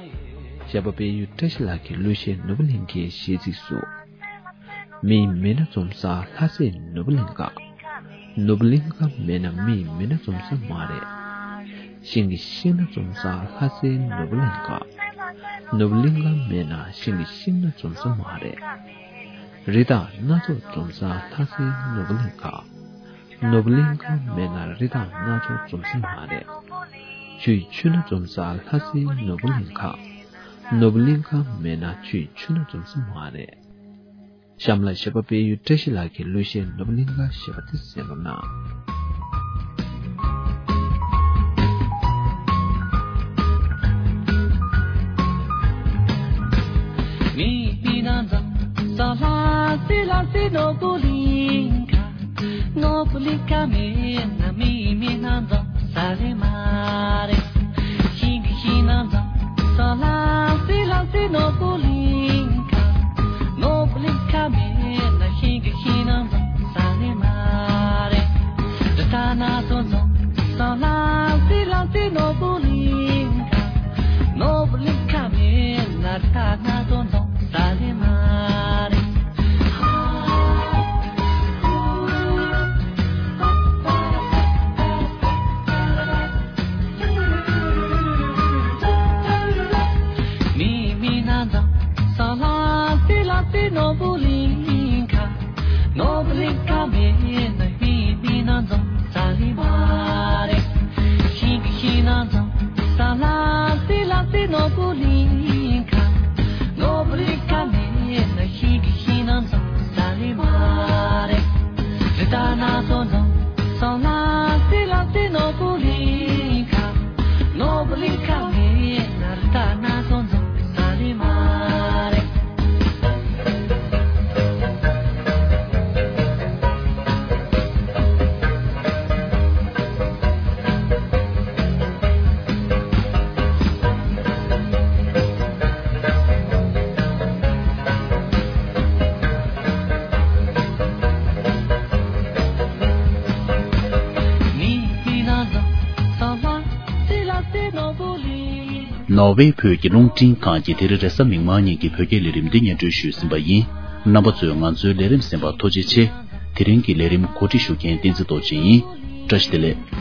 ཡེ། གཞས་པ་དཔལ་ཡུལ་བཀྲ་ཤིས་ལགས་ཀྱི་གླུ་གཞས་ནོར་བུ་གླིང་ཁའི་གཞས་ཚིག་སུ། མི་མེད་ན་འཛོམས་ས་ལྷ་སའི་ནོར་བུ་གླིང་ཁ། ནོར་བུ་གླིང་ཁ་མེད་ན་མི་མེད་ན་འཛོམས་ས་མ་རེད། ཤིང་གི་ཤིང་སྣ་འཛོམས་ས་ལྷ་སའི་ནོར་བུ་གླིང་ཁ། ནོར་བུ་གླིང་ཁ་མེད་ན་ཤིང་གི་ཤིང་སྣ་འཛོམས་ས་མ་རེད། རི་དྭགས་སྣ་ཚོགས་འཛོམས་ས་ལྷ་སའི་ནོར་བུ་གླིང་ཁ། ནོར་བུ་གླིང་ཁ་མེད་ན་རི་དྭགས་སྣ་ཚོགས་འཛོམས་ས་མ་རེད། ཆུའི་ཆུ་སྣ་འཛོམས་ས་ལྷ་སའི་ནོར་བུ་གླིང་ཁ། ནོར་བུ་གླིང་ཁ་མེད་ན་ཆུའི་ཆུ་སྣ་འཛོམས་ས་མ་རེད། གཤམ་ལ་གཞས་པ་དཔལ་ཡུལ་བཀྲ་ཤིས་ལགས་ཀྱི་གླུ་གཞས་ནོར་བུ་གླིང་ཁ་ཞེས་པ་དེ་གསན་རོགས་གནང་། མི་མེད་ན་འཛོམས་ས་ལྷ་སའི། ལྷ་སའི་ནོར་བུ་གླིང་ཁ། ནོར་བུ་གླིང་ཁ་མེད་ན་མི་མེད་ན་འཛོམས་ས་རེད་མ་རེད། ཤིང་གི་ཤིང་སྣ་འཛོམས་ས་ལྷ་སའི། ལྷ་སའི་ནོར་བུ་གླིང་ཁ། ནོར་བུ་གླིང་ཁ་མེད་ན་ཤིང་གི་ཤིང་སྣ་འཛོམས་ས་རེད་མ་རེད། རི་དྭགས་སྣ་ཚོགས་འཛོམས་ས་ལྷ་སའི། ལྷ་སའི་ནོར་བུ་གླིང་ཁ། ནོར་བུ་གླིང་ཁ་མེད་ན་རི་དྭགས་སྣ་ཚོགས་འཛོམས་ས་རེད་མ་རེད། མི་མེད་ན་འཛོམས་ ནོར་ཝེ་བོད་ཀྱི་རླུང་འཕྲིན་ཁང་གིས་དེ་རིང་རེས་གཟའ་མིག་དམར་ཉིན་གྱི་བོད་སྐད་ལས་རིམ་འདི་སྙན་སྒྲོན་ཞུས་ཟིན་པ་ཡིན། རྣམ་པ་ཚོས་ང་ཚོའི་ལས་རིམ་གསན་པར་ཐུགས་རྗེ་ཆེ། དེ་རིང་གི་ལས་རིམ་གོ་སྒྲིག་ཞུ་མཁན་བསྟན་འཛིན་རྡོ་རྗེ་ཡིན། བཀྲ་ཤིས་བདེ་ལེགས།